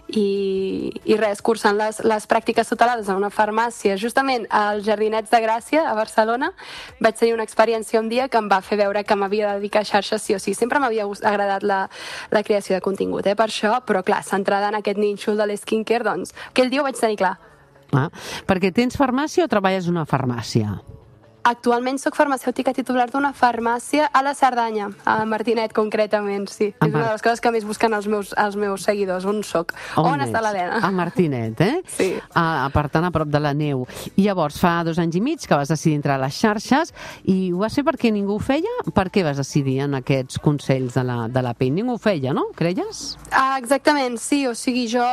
i res, cursant les pràctiques tutelades a una farmàcia justament als Jardinets de Gràcia a Barcelona vaig tenir una experiència un dia que em va fer veure que m'havia de dedicar a xarxes sí o sí. Sempre m'havia agradat la creació de contingut, per això, però clar, centrada en aquest nínxol de l'skincare, doncs aquell dia ho vaig tenir clar. Perquè tens farmàcia o treballes en una farmàcia? Actualment soc farmacèutica titular d'una farmàcia a la Cerdanya, a Martinet concretament, sí. És una de les coses que més busquen els meus seguidors, on soc. On està l'Helena? A Martinet, Sí. Per tant, a prop de la neu. I llavors, fa 2 anys i mig que vas decidir entrar a les xarxes i ho vas fer perquè ningú ho feia? Per què vas decidir en aquests consells de la pell? Ningú ho feia, no? Creies? Exactament, sí. O sigui, jo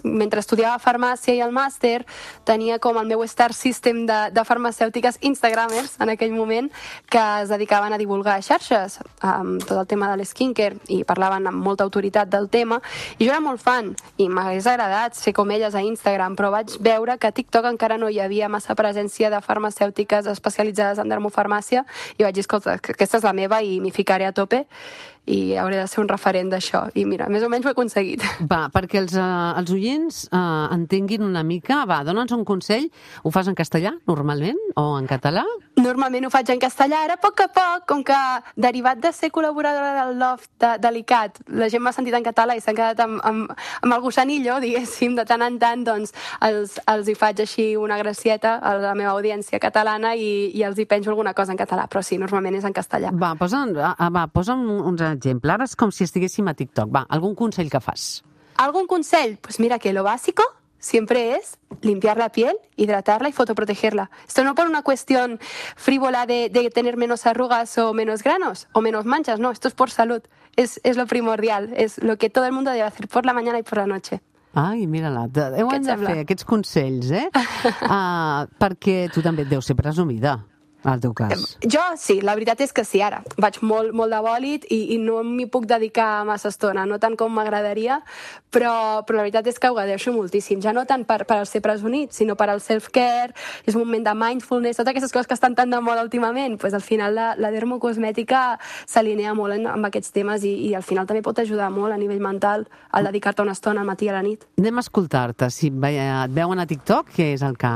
mentre estudiava farmàcia i el màster tenia com el meu star system de farmacèutiques instagramers en aquell moment que es dedicaven a divulgar xarxes amb tot el tema de l'skincare i parlaven amb molta autoritat del tema i jo era molt fan i m'hagués agradat ser com elles a Instagram, però vaig veure que a TikTok encara no hi havia massa presència de farmacèutiques especialitzades en dermofarmàcia i vaig dir, escolta, aquesta és la meva i m'hi ficaré a tope i hauré de ser un referent d'això. I mira, més o menys ho he aconseguit. Va, perquè els oients entenguin una mica, va, dona'ns un consell. Ho fas en castellà, normalment, o en català? Normalment ho faig en castellà. Ara, a poc, com que derivat de ser col·laboradora del Loft de l'ICAT, la gent m'ha sentit en català i s'han quedat amb el gussanillo, diguéssim, de tant en tant, doncs els hi faig així una gracieta a la meva audiència catalana i els hi penjo alguna cosa en català, però sí, normalment és en castellà. Va, posa'm uns exemples. Ara és com si estiguéssim a TikTok. Va, algun consell que fas? ¿Algún consell? Pues mira que lo básico siempre es limpiar la piel, hidratarla y fotoprotegerla. Esto no por una cuestión frívola de tener menos arrugas o menos granos o menos manchas, no, esto es por salud. Es lo primordial, es lo que todo el mundo debe hacer por la mañana y por la noche. Ai, mira-la, hem de fer aquests consells, perquè tu també et deus ser presumida. al teu cas? Jo sí, la veritat és que sí, ara. Vaig molt de bòlit i no m'hi puc dedicar massa estona, no tant com m'agradaria, però la veritat és que ho agradeixo moltíssim. Ja no tant per ser presumit, sinó per al self-care, és un moment de mindfulness, totes aquestes coses que estan tan de moda últimament, pues, al final la dermocosmètica s'alinea molt amb aquests temes i al final també pot ajudar molt a nivell mental al dedicar-te una estona al matí i a la nit. Anem a escoltar-te. Si et veuen a TikTok, què és el que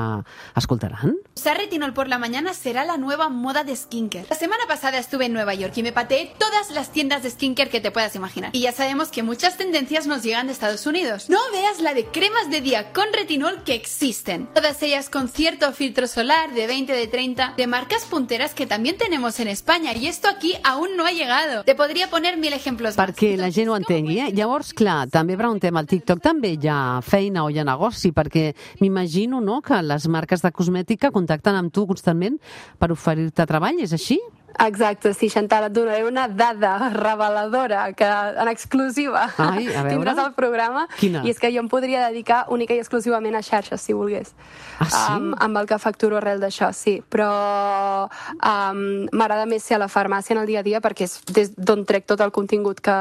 escoltaran? Usar retinol por la mañana será la nueva moda de skincare. La semana pasada estuve en Nueva York y me pateé todas las tiendas de skincare que te puedas imaginar. Y ya sabemos que muchas tendencias nos llegan de Estados Unidos. No veas la de cremas de día con retinol que existen. Todas ellas con cierto filtro solar de 20, de 30, de marcas punteras que también tenemos en España. Y esto aquí aún no ha llegado. Te podria poner 1000 ejemplos más. Perquè la gent ho entengui, Llavors, clar, també preguntem al TikTok, també hi ha feina o hi ha negoci, perquè m'imagino, no?, que les marques de cosmètica contacten amb tu constantment per oferir-te treball, és així? Exacte, sí, Chantal, et donaré una dada reveladora que en exclusiva tindràs al programa. Quina? I és que jo em podria dedicar única i exclusivament a xarxes, si volgués. Ah, sí? Amb el que facturo arrel d'això, sí. Però m'agrada més ser a la farmàcia en el dia a dia perquè és des d'on trec tot el contingut que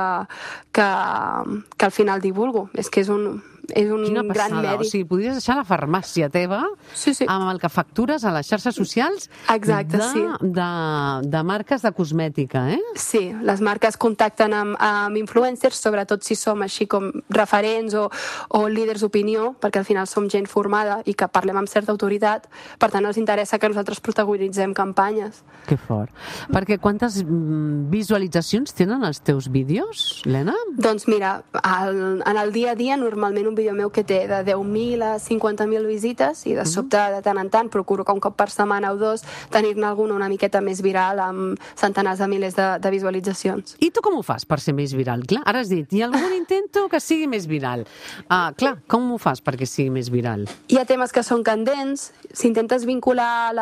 al final divulgo. És que és un gran mèrit. O sigui, podries deixar la farmàcia teva amb el que factures a les xarxes socials de marques de cosmètica, eh? Sí, les marques contacten amb influencers, sobretot si som així com referents o líders d'opinió, perquè al final som gent formada i que parlem amb certa autoritat, per tant els interessa que nosaltres protagonitzem campanyes. Que fort. Perquè quantes visualitzacions tenen els teus vídeos, Lena? Doncs mira, en el dia a dia normalment un vídeo meu que té de 10.000 a 50.000 visites i de sobte de tant en tant procuro que un cop per setmana o dos tenir-ne alguna una miqueta més viral amb centenars de milers de visualitzacions. I tu com ho fas per ser més viral? Clar, ara has dit, hi ha algun intento que sigui més viral. Clar, com ho fas perquè sigui més viral? Hi ha temes que són candents, si intentes vincular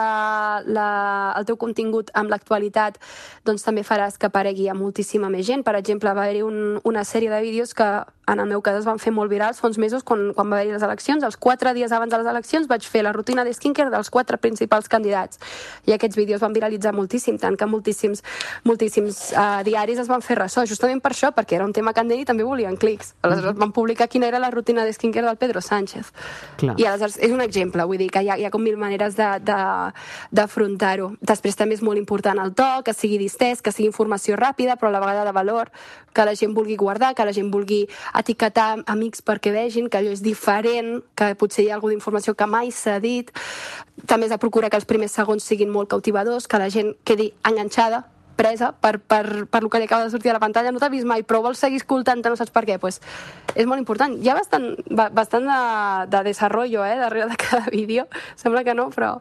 el teu contingut amb l'actualitat, doncs també faràs que aparegui a moltíssima més gent. Per exemple, va haver-hi una sèrie de vídeos que en el meu cas es van fer molt virals fa uns mesos quan va haver-hi les eleccions. Els 4 dies abans de les eleccions vaig fer la rutina de skincare dels 4 principals candidats. I aquests vídeos van viralitzar moltíssim, tant que moltíssims diaris es van fer ressò, justament per això, perquè era un tema candent i també volien clics. Aleshores van publicar quina era la rutina de skincare del Pedro Sánchez. Clar. I aleshores és un exemple, vull dir que hi ha com 1000 maneres d'afrontar-ho. Després també és molt important el to, que sigui distès, que sigui informació ràpida, però a la vegada de valor, que la gent vulgui guardar, que la gent vulgui etiquetar amics perquè vegin que allò és diferent, que potser hi ha alguna informació que mai s'ha dit. També has de procurar que els primers segons siguin molt cautivadors, que la gent quedi enganxada, presa per el que li acaba de sortir a la pantalla. No t'ha vist mai, però vols seguir escoltant-te, no saps per què. Pues és molt important. Hi ha bastant de desarrollo darrere de cada vídeo. Sembla que no, però...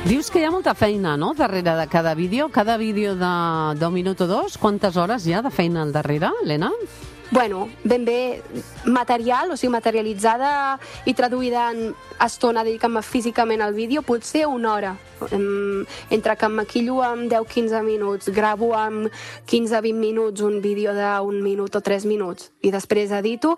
Dius que hi ha molta feina, no?, darrere de cada vídeo. Cada vídeo d'un minut o dos, quantes hores hi ha de feina al darrere, Lena? Bueno, ben bé material, o sigui, materialitzada i traduïda en estona, dedicant-me físicament al vídeo, potser una hora. Entre que em maquillo en 10-15 minuts, gravo en 15-20 minuts un vídeo d'un minut o 3 minuts, i després edito,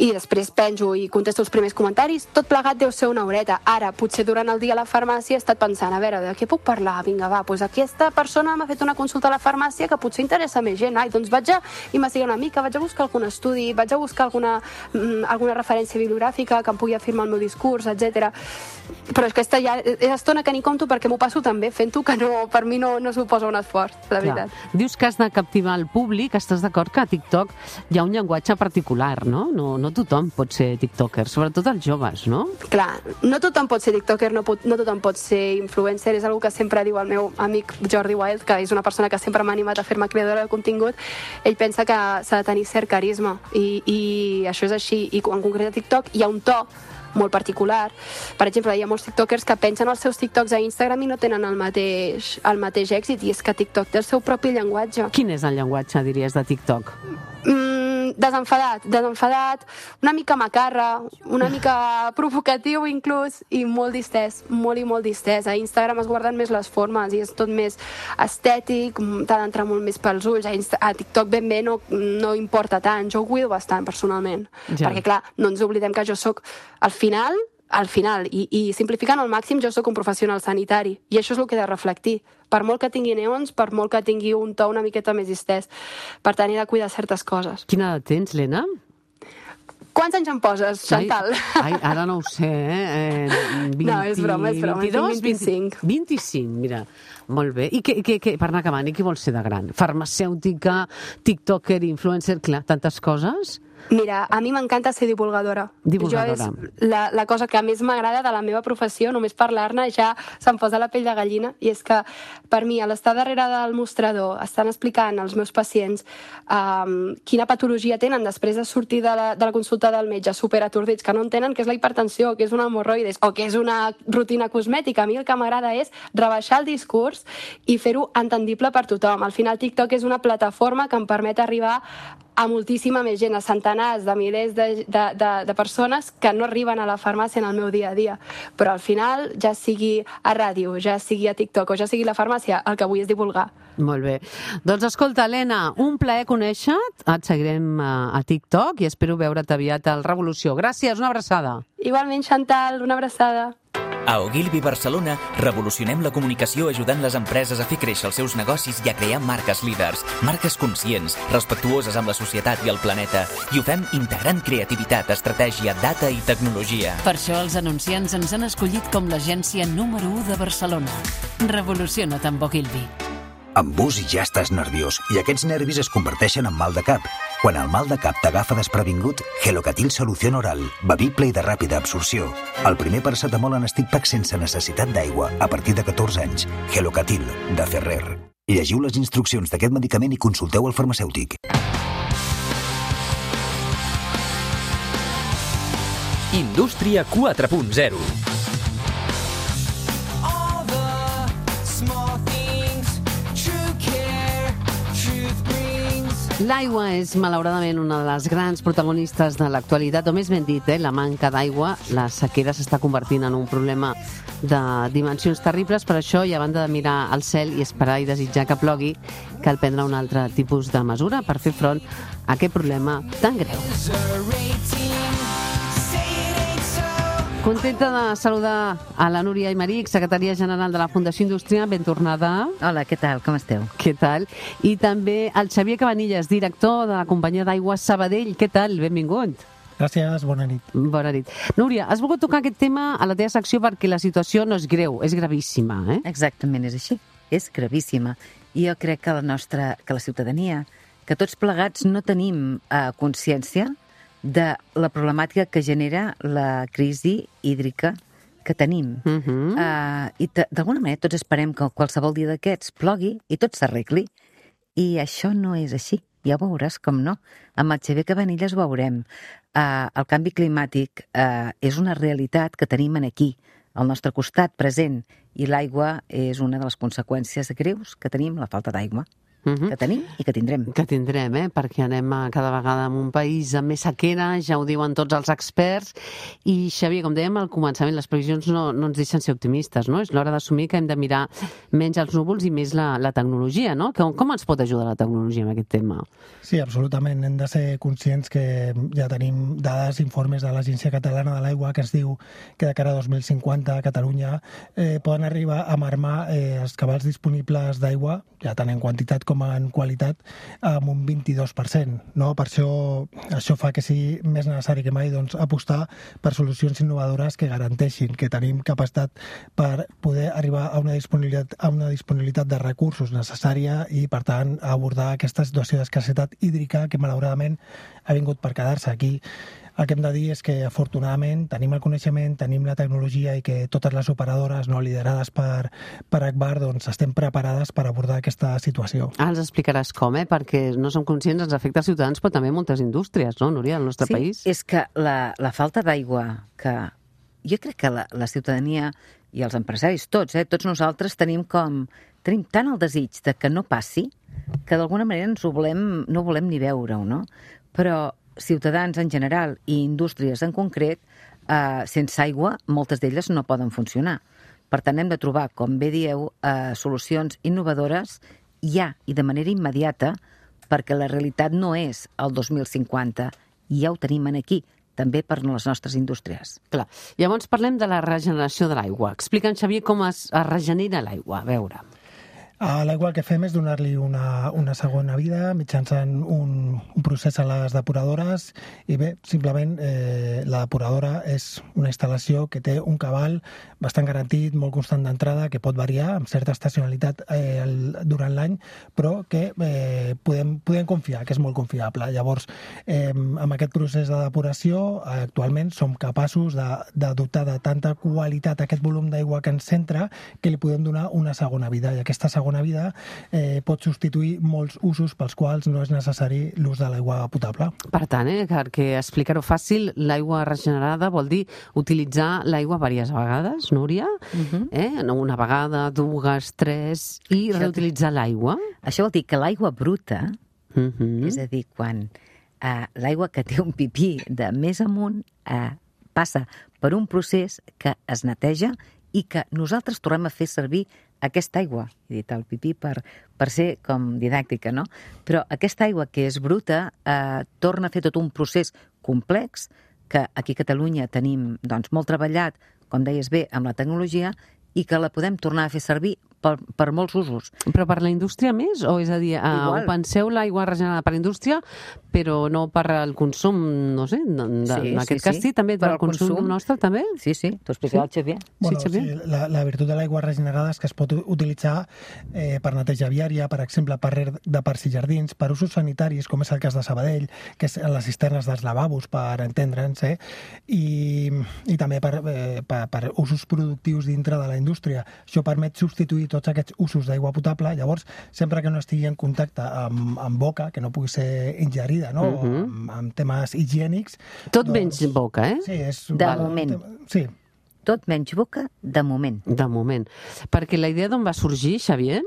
i després penjo i contesto els primers comentaris, tot plegat deu ser una horeta. Ara, potser durant el dia a la farmàcia he estat pensant, a veure, de què puc parlar? Vinga, va, doncs aquesta persona m'ha fet una consulta a la farmàcia que potser interessa més gent. Ai, doncs vaig a investigar una mica, vaig a buscar buscar algun estudi, vaig a buscar alguna referència bibliogràfica que em pugui afirmar el meu discurs, etc. Però és que ja és estona que ni compto perquè m'ho passo tan bé fent-ho que per mi no suposa un esforç, la veritat. Dius que has de captivar el públic, estàs d'acord que a TikTok hi ha un llenguatge particular, no? No tothom pot ser tiktoker, sobretot els joves, no? Clar, no tothom pot ser tiktoker, no tothom pot ser influencer, és una que sempre diu el meu amic Jordi Wild, que és una persona que sempre m'ha animat a fer-me creadora de contingut. Ell pensa que s'ha de tenir cert carisma i això és així, i en concret a TikTok hi ha un to molt particular. Per exemple, hi ha molts tiktokers que pengen els seus tiktoks a Instagram i no tenen el mateix èxit, i és que TikTok té el seu propi llenguatge. Quin és el llenguatge, diries, de TikTok? Desenfadat, una mica macarra, una mica provocatiu inclús, i molt distès, molt i molt distès. A Instagram es guarden més les formes i és tot més estètic, t'ha d'entrar molt més pels ulls. A TikTok ben bé no importa tant, jo ho cuido bastant personalment, perquè clar, no ens oblidem que jo sóc al final, i simplificant al màxim, jo sóc un professional sanitari, i això és el que he de reflectir. Per molt que tingui neons, per molt que tingui un to una miqueta més distès. Per tant, he de cuidar certes coses. Quina edat tens, Lena? Quants anys em poses, Chantal? Ara no ho sé, No, és broma, 22, 25. 25, mira, molt bé. I per anar acabant, i què vols ser de gran? Farmacèutica, tiktoker, influencer, clar, tantes coses? Mira, a mi m'encanta ser divulgadora. Divulgadora. Jo és la cosa que més m'agrada de la meva professió, només parlar-ne ja se'm posa la pell de gallina, i és que per mi, a l'estar darrere del mostrador, estan explicant als meus pacients quina patologia tenen després de sortir de la consulta del metge, superatordits, que no entenen què és la hipertensió, què és una hemorroides o què és una rutina cosmètica. A mi el que m'agrada és rebaixar el discurs i fer-ho entendible per tothom. Al final, TikTok és una plataforma que em permet arribar a moltíssima més gent, a centenars de milers de persones que no arriben a la farmàcia en el meu dia a dia. Però al final, ja sigui a ràdio, ja sigui a TikTok o ja sigui a la farmàcia, el que vull és divulgar. Molt bé. Doncs escolta, Helena, un plaer conèixer-te. Et seguirem a TikTok i espero veure't aviat al Revolució. Gràcies, una abraçada. Igualment, Chantal, una abraçada. A Ogilvy Barcelona revolucionem la comunicació ajudant les empreses a fer créixer els seus negocis i a crear marques líders, marques conscients, respectuoses amb la societat i el planeta. I ho fem integrant creativitat, estratègia, data i tecnologia. Per això els anunciants ens han escollit com l'agència número 1 de Barcelona. Revoluciona't amb Ogilvy. Amb bus i ja estàs nerviós, i aquests nervis es converteixen en mal de cap. Quan el mal de cap t'agafa desprevingut, Gelocatil Solución Oral, bevible i de ràpida absorció. El primer paracetamol en stick pack sense necessitat d'aigua, a partir de 14 anys. Gelocatil, de Ferrer. Llegiu les instruccions d'aquest medicament i consulteu el farmacèutic. Indústria 4.0. L'aigua és, malauradament, una de les grans protagonistes de l'actualitat, o més ben dit, la manca d'aigua. La sequera s'està convertint en un problema de dimensions terribles. Per això, i a banda de mirar al cel i esperar i desitjar que plogui, cal prendre un altre tipus de mesura per fer front a aquest problema tan greu. Contenta de saludar a la Núria Aymeric, secretària general de la Fundació Indústria. Ben tornada. Hola, què tal? Com esteu? Què tal? I també el Xavier Cabanillas, director de la companyia d'aigua Sabadell. Què tal? Benvingut. Gràcies, bona nit. Bona nit. Núria, has volgut tocar aquest tema a la teva secció perquè la situació no és greu, és gravíssima, eh? Exactament, és així. És gravíssima. I jo crec que la ciutadania, que tots plegats no tenim consciència de la problemàtica que genera la crisi hídrica que tenim. I d'alguna manera tots esperem que qualsevol dia d'aquests plogui i tot s'arregli. I això no és així. Ja ho veuràs com no. Amb el Xavier Cabanillas ho veurem. El canvi climàtic és una realitat que tenim aquí, al nostre costat present, i l'aigua és una de les conseqüències greus que tenim, la falta d'aigua. Que tenim i que tindrem. Que tindrem, perquè anem cada vegada en un país amb més sequera, ja ho diuen tots els experts. I, Xavier, com dèiem al començament, les previsions no ens deixen ser optimistes, no? És l'hora d'assumir que hem de mirar menys els núvols i més la tecnologia, no? Com ens pot ajudar la tecnologia en aquest tema? Sí, absolutament. Hem de ser conscients que ja tenim dades, informes de l'Agència Catalana de l'Aigua que ens diu que de cara a 2050 a Catalunya poden arribar a marmar els cabals disponibles d'aigua, ja tant en quantitat com com en qualitat amb un 22%. No? Per això fa que sigui més necessari que mai doncs, apostar per solucions innovadores que garanteixin que tenim capacitat per poder arribar a una disponibilitat de recursos necessària i, per tant, abordar aquesta situació d'escassetat hídrica que, malauradament, ha vingut per quedar-se aquí. El que hem de dir és que, afortunadament, tenim el coneixement, tenim la tecnologia i que totes les operadores liderades per Agbar doncs, estem preparades per abordar aquesta situació. Els explicaràs com, perquè no som conscients dels efectes ciutadans, però també moltes indústries, no, Núria, al nostre país? Sí, és que la falta d'aigua, que jo crec que la ciutadania i els empresaris, tots nosaltres tenim tant el desig de que no passi, que d'alguna manera no volem ni veure-ho, no? Però ciutadans en general i indústries en concret, sense aigua, moltes d'elles no poden funcionar. Per tant, hem de trobar, com bé dieu, solucions innovadores ja i de manera immediata, perquè la realitat no és el 2050, i ja ho tenim aquí, també per les nostres indústries. Clar. Llavors parlem de la regeneració de l'aigua. Explica'ns, Xavier, com es regenera l'aigua. A veure. L'aigua el que fem és donar-li una segona vida mitjançant un procés a les depuradores i bé, simplement la depuradora és una instal·lació que té un cabal bastant garantit, molt constant d'entrada, que pot variar amb certa estacionalitat durant l'any, però que podem confiar, que és molt confiable. Llavors, amb aquest procés de depuració, actualment som capaços de dotar de tanta qualitat aquest volum d'aigua que ens entra que li podem donar una segona vida, i aquesta segona vida pot substituir molts usos pels quals no és necessari l'ús de l'aigua potable. Per tant, perquè explicar-ho fàcil, l'aigua regenerada vol dir utilitzar l'aigua diverses vegades, Núria? Una vegada, dues, tres, i reutilitzar l'aigua? Això vol dir que l'aigua bruta, és a dir, quan l'aigua que té un pipí de més amunt passa per un procés que es neteja i que nosaltres tornem a fer servir aquesta aigua, he dit el pipí per ser com didàctica, no? Però aquesta aigua que és bruta torna a fer tot un procés complex que aquí a Catalunya tenim doncs, molt treballat, com deies bé, amb la tecnologia, i que la podem tornar a fer servir per molts usos. Però per la indústria més? O és a dir, penseu l'aigua regenerada per la indústria, però no per al consum, no sé, en aquest cas sí, també per al consum nostre, també? Sí, t'ho explicarà el Xavier. La virtut de l'aigua regenerada és que es pot utilitzar per neteja viària, per exemple, per reg de parcs i jardins, per usos sanitaris, com és el cas de Sabadell, que és les cisternes dels lavabos, per entendre'ns, i també per usos productius dintre de la indústria. Això permet substituir tots aquests usos d'aigua potable, llavors, sempre que no estigui en contacte amb boca, que no pugui ser ingerida, no? Amb temes higiènics... Tot menys boca, Sí, és... De moment. Sí. Tot menys boca, de moment. De moment. Perquè la idea d'on va sorgir, Xavier?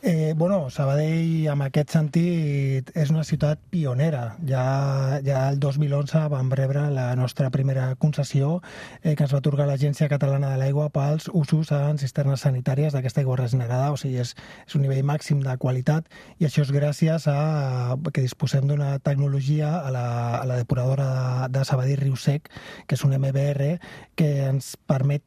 Sabadell, en aquest sentit, és una ciutat pionera. Ja el 2011 vam rebre la nostra primera concessió que ens va atorgar l'Agència Catalana de l'Aigua pels usos en cisternes sanitàries d'aquesta aigua regenerada. O sigui, és un nivell màxim de qualitat, i això és gràcies a que disposem d'una tecnologia a la depuradora de Sabadell Riu Sec, que és un MBR, que ens permet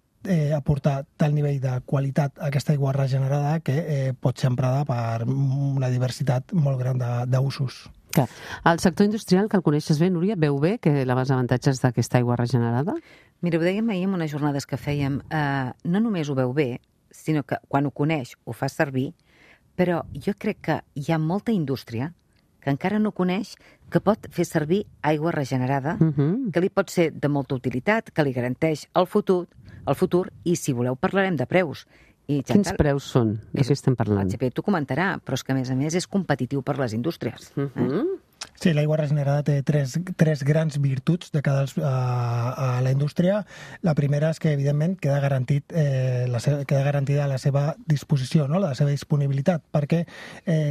aportar tal nivell de qualitat a aquesta aigua regenerada que pot ser emprada per una diversitat molt gran d'usos. El sector industrial, que el coneixes bé, Núria, veu bé que els avantatges d'aquesta aigua regenerada? Mira, ho dèiem ahir en unes jornades que fèiem, no només ho veu bé, sinó que quan ho coneix ho fa servir, però jo crec que hi ha molta indústria que encara no coneix que pot fer servir aigua regenerada, que li pot ser de molta utilitat, que li garanteix el futur, i si voleu parlarem de preus. Quins preus són? De què estem parlant? El Xavier t'ho comentarà, però és que a més és competitiu per les indústries. Sí, l'aigua regenerada té tres grans virtuts de cara a la indústria. La primera és que, evidentment, queda garantida la seva disposició, no? La seva disponibilitat, perquè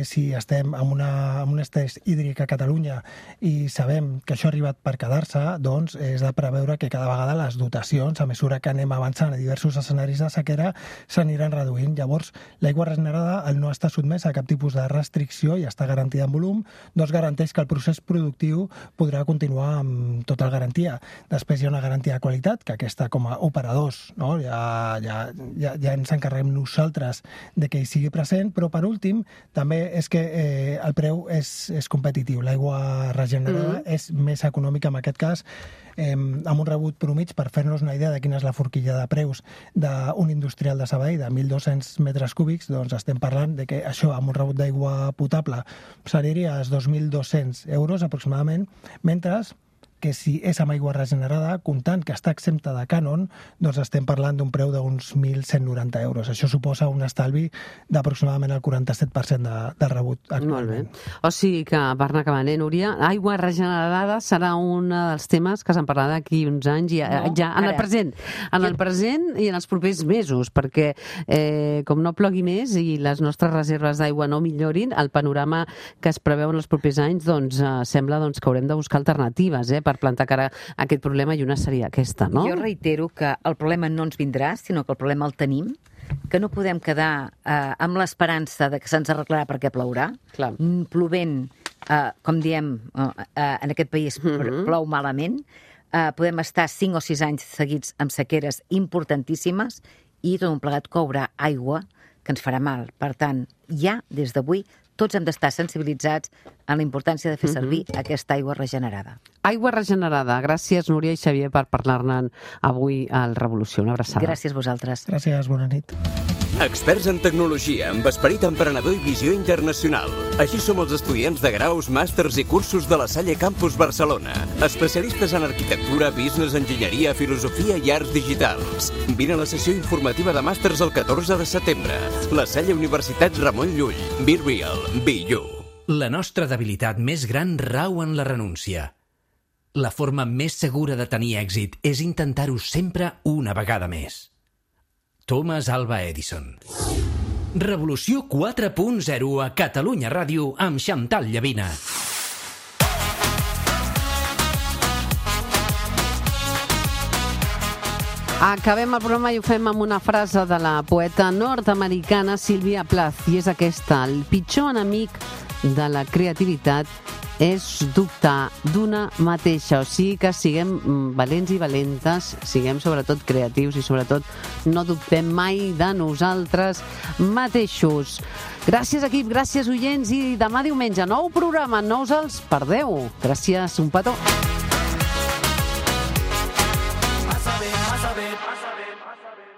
si estem en un estrès hídric a Catalunya i sabem que això ha arribat per quedar-se, doncs és de preveure que cada vegada les dotacions, a mesura que anem avançant a diversos escenaris de sequera, s'aniran reduint. Llavors, l'aigua regenerada, al no estar sotmesa a cap tipus de restricció i està garantida en volum, doncs garanteix que el procés productiu podrà continuar amb tota la garantia. Després hi ha una garantia de qualitat, que aquesta com a operadors, no? ja ens encarreguem nosaltres de que hi sigui present, però per últim també és que el preu és competitiu. L'aigua regenerada és més econòmica en aquest cas, amb un rebut promig, per fer-nos una idea de quina és la forquilla de preus d'un industrial de Sabadell de 1.200 metres cúbics, doncs estem parlant de que això amb un rebut d'aigua potable seria els 2.200 euros aproximadament, mentre que si és amb aigua regenerada, comptant que està exempta de cànon, doncs estem parlant d'un preu d'uns 1.190 euros. Això suposa un estalvi d'aproximadament el 47% de rebut actualment. Molt bé. O sigui que, per anar acabant, Núria, aigua regenerada serà un dels temes que se'n parlarà d'aquí uns anys i ja en el present i en els propers mesos, perquè com no plogui més i les nostres reserves d'aigua no millorin, el panorama que es preveu en els propers anys sembla que haurem de buscar alternatives per plantar cara a aquest problema, i una seria aquesta, no? Jo reitero que el problema no ens vindrà, sinó que el problema el tenim, que no podem quedar amb l'esperança de que se'ns arreglarà perquè plourà. Plovent, com diem, en aquest país plou malament. Podem estar 5 o 6 anys seguits amb sequeres importantíssimes i tot un plegat courà aigua que ens farà mal. Per tant, ja des d'avui tots hem d'estar sensibilitzats en la importància de fer servir aquesta aigua regenerada. Aigua regenerada. Gràcies, Núria i Xavier, per parlar-ne avui al Revolució. Una abraçada. Gràcies a vosaltres. Gràcies, bona nit. Experts en tecnologia, amb esperit emprenedor i visió internacional. Així som els estudiants de graus, màsters i cursos de la Salle Campus Barcelona. Especialistes en arquitectura, business, enginyeria, filosofia i arts digitals. Vine a la sessió informativa de màsters el 14 de setembre. La Salle Universitat Ramon Llull. Be real, be you. La nostra debilitat més gran rau en la renúncia. La forma més segura de tenir èxit és intentar-ho sempre una vegada més. Thomas Alva Edison. Revolució 4.0 a Catalunya Ràdio amb Xantal Llavina. Acabem el programa i ho fem amb una frase de la poeta nord-americana Sylvia Plath, i és aquesta: el pitjor enemic de la creativitat és dubtar d'una mateixa. O sigui que siguem valents i valentes, siguem sobretot creatius i sobretot no dubtem mai de nosaltres mateixos. Gràcies, equip, gràcies, oients, i demà diumenge, nou programa, no us els perdeu. Gràcies, un petó.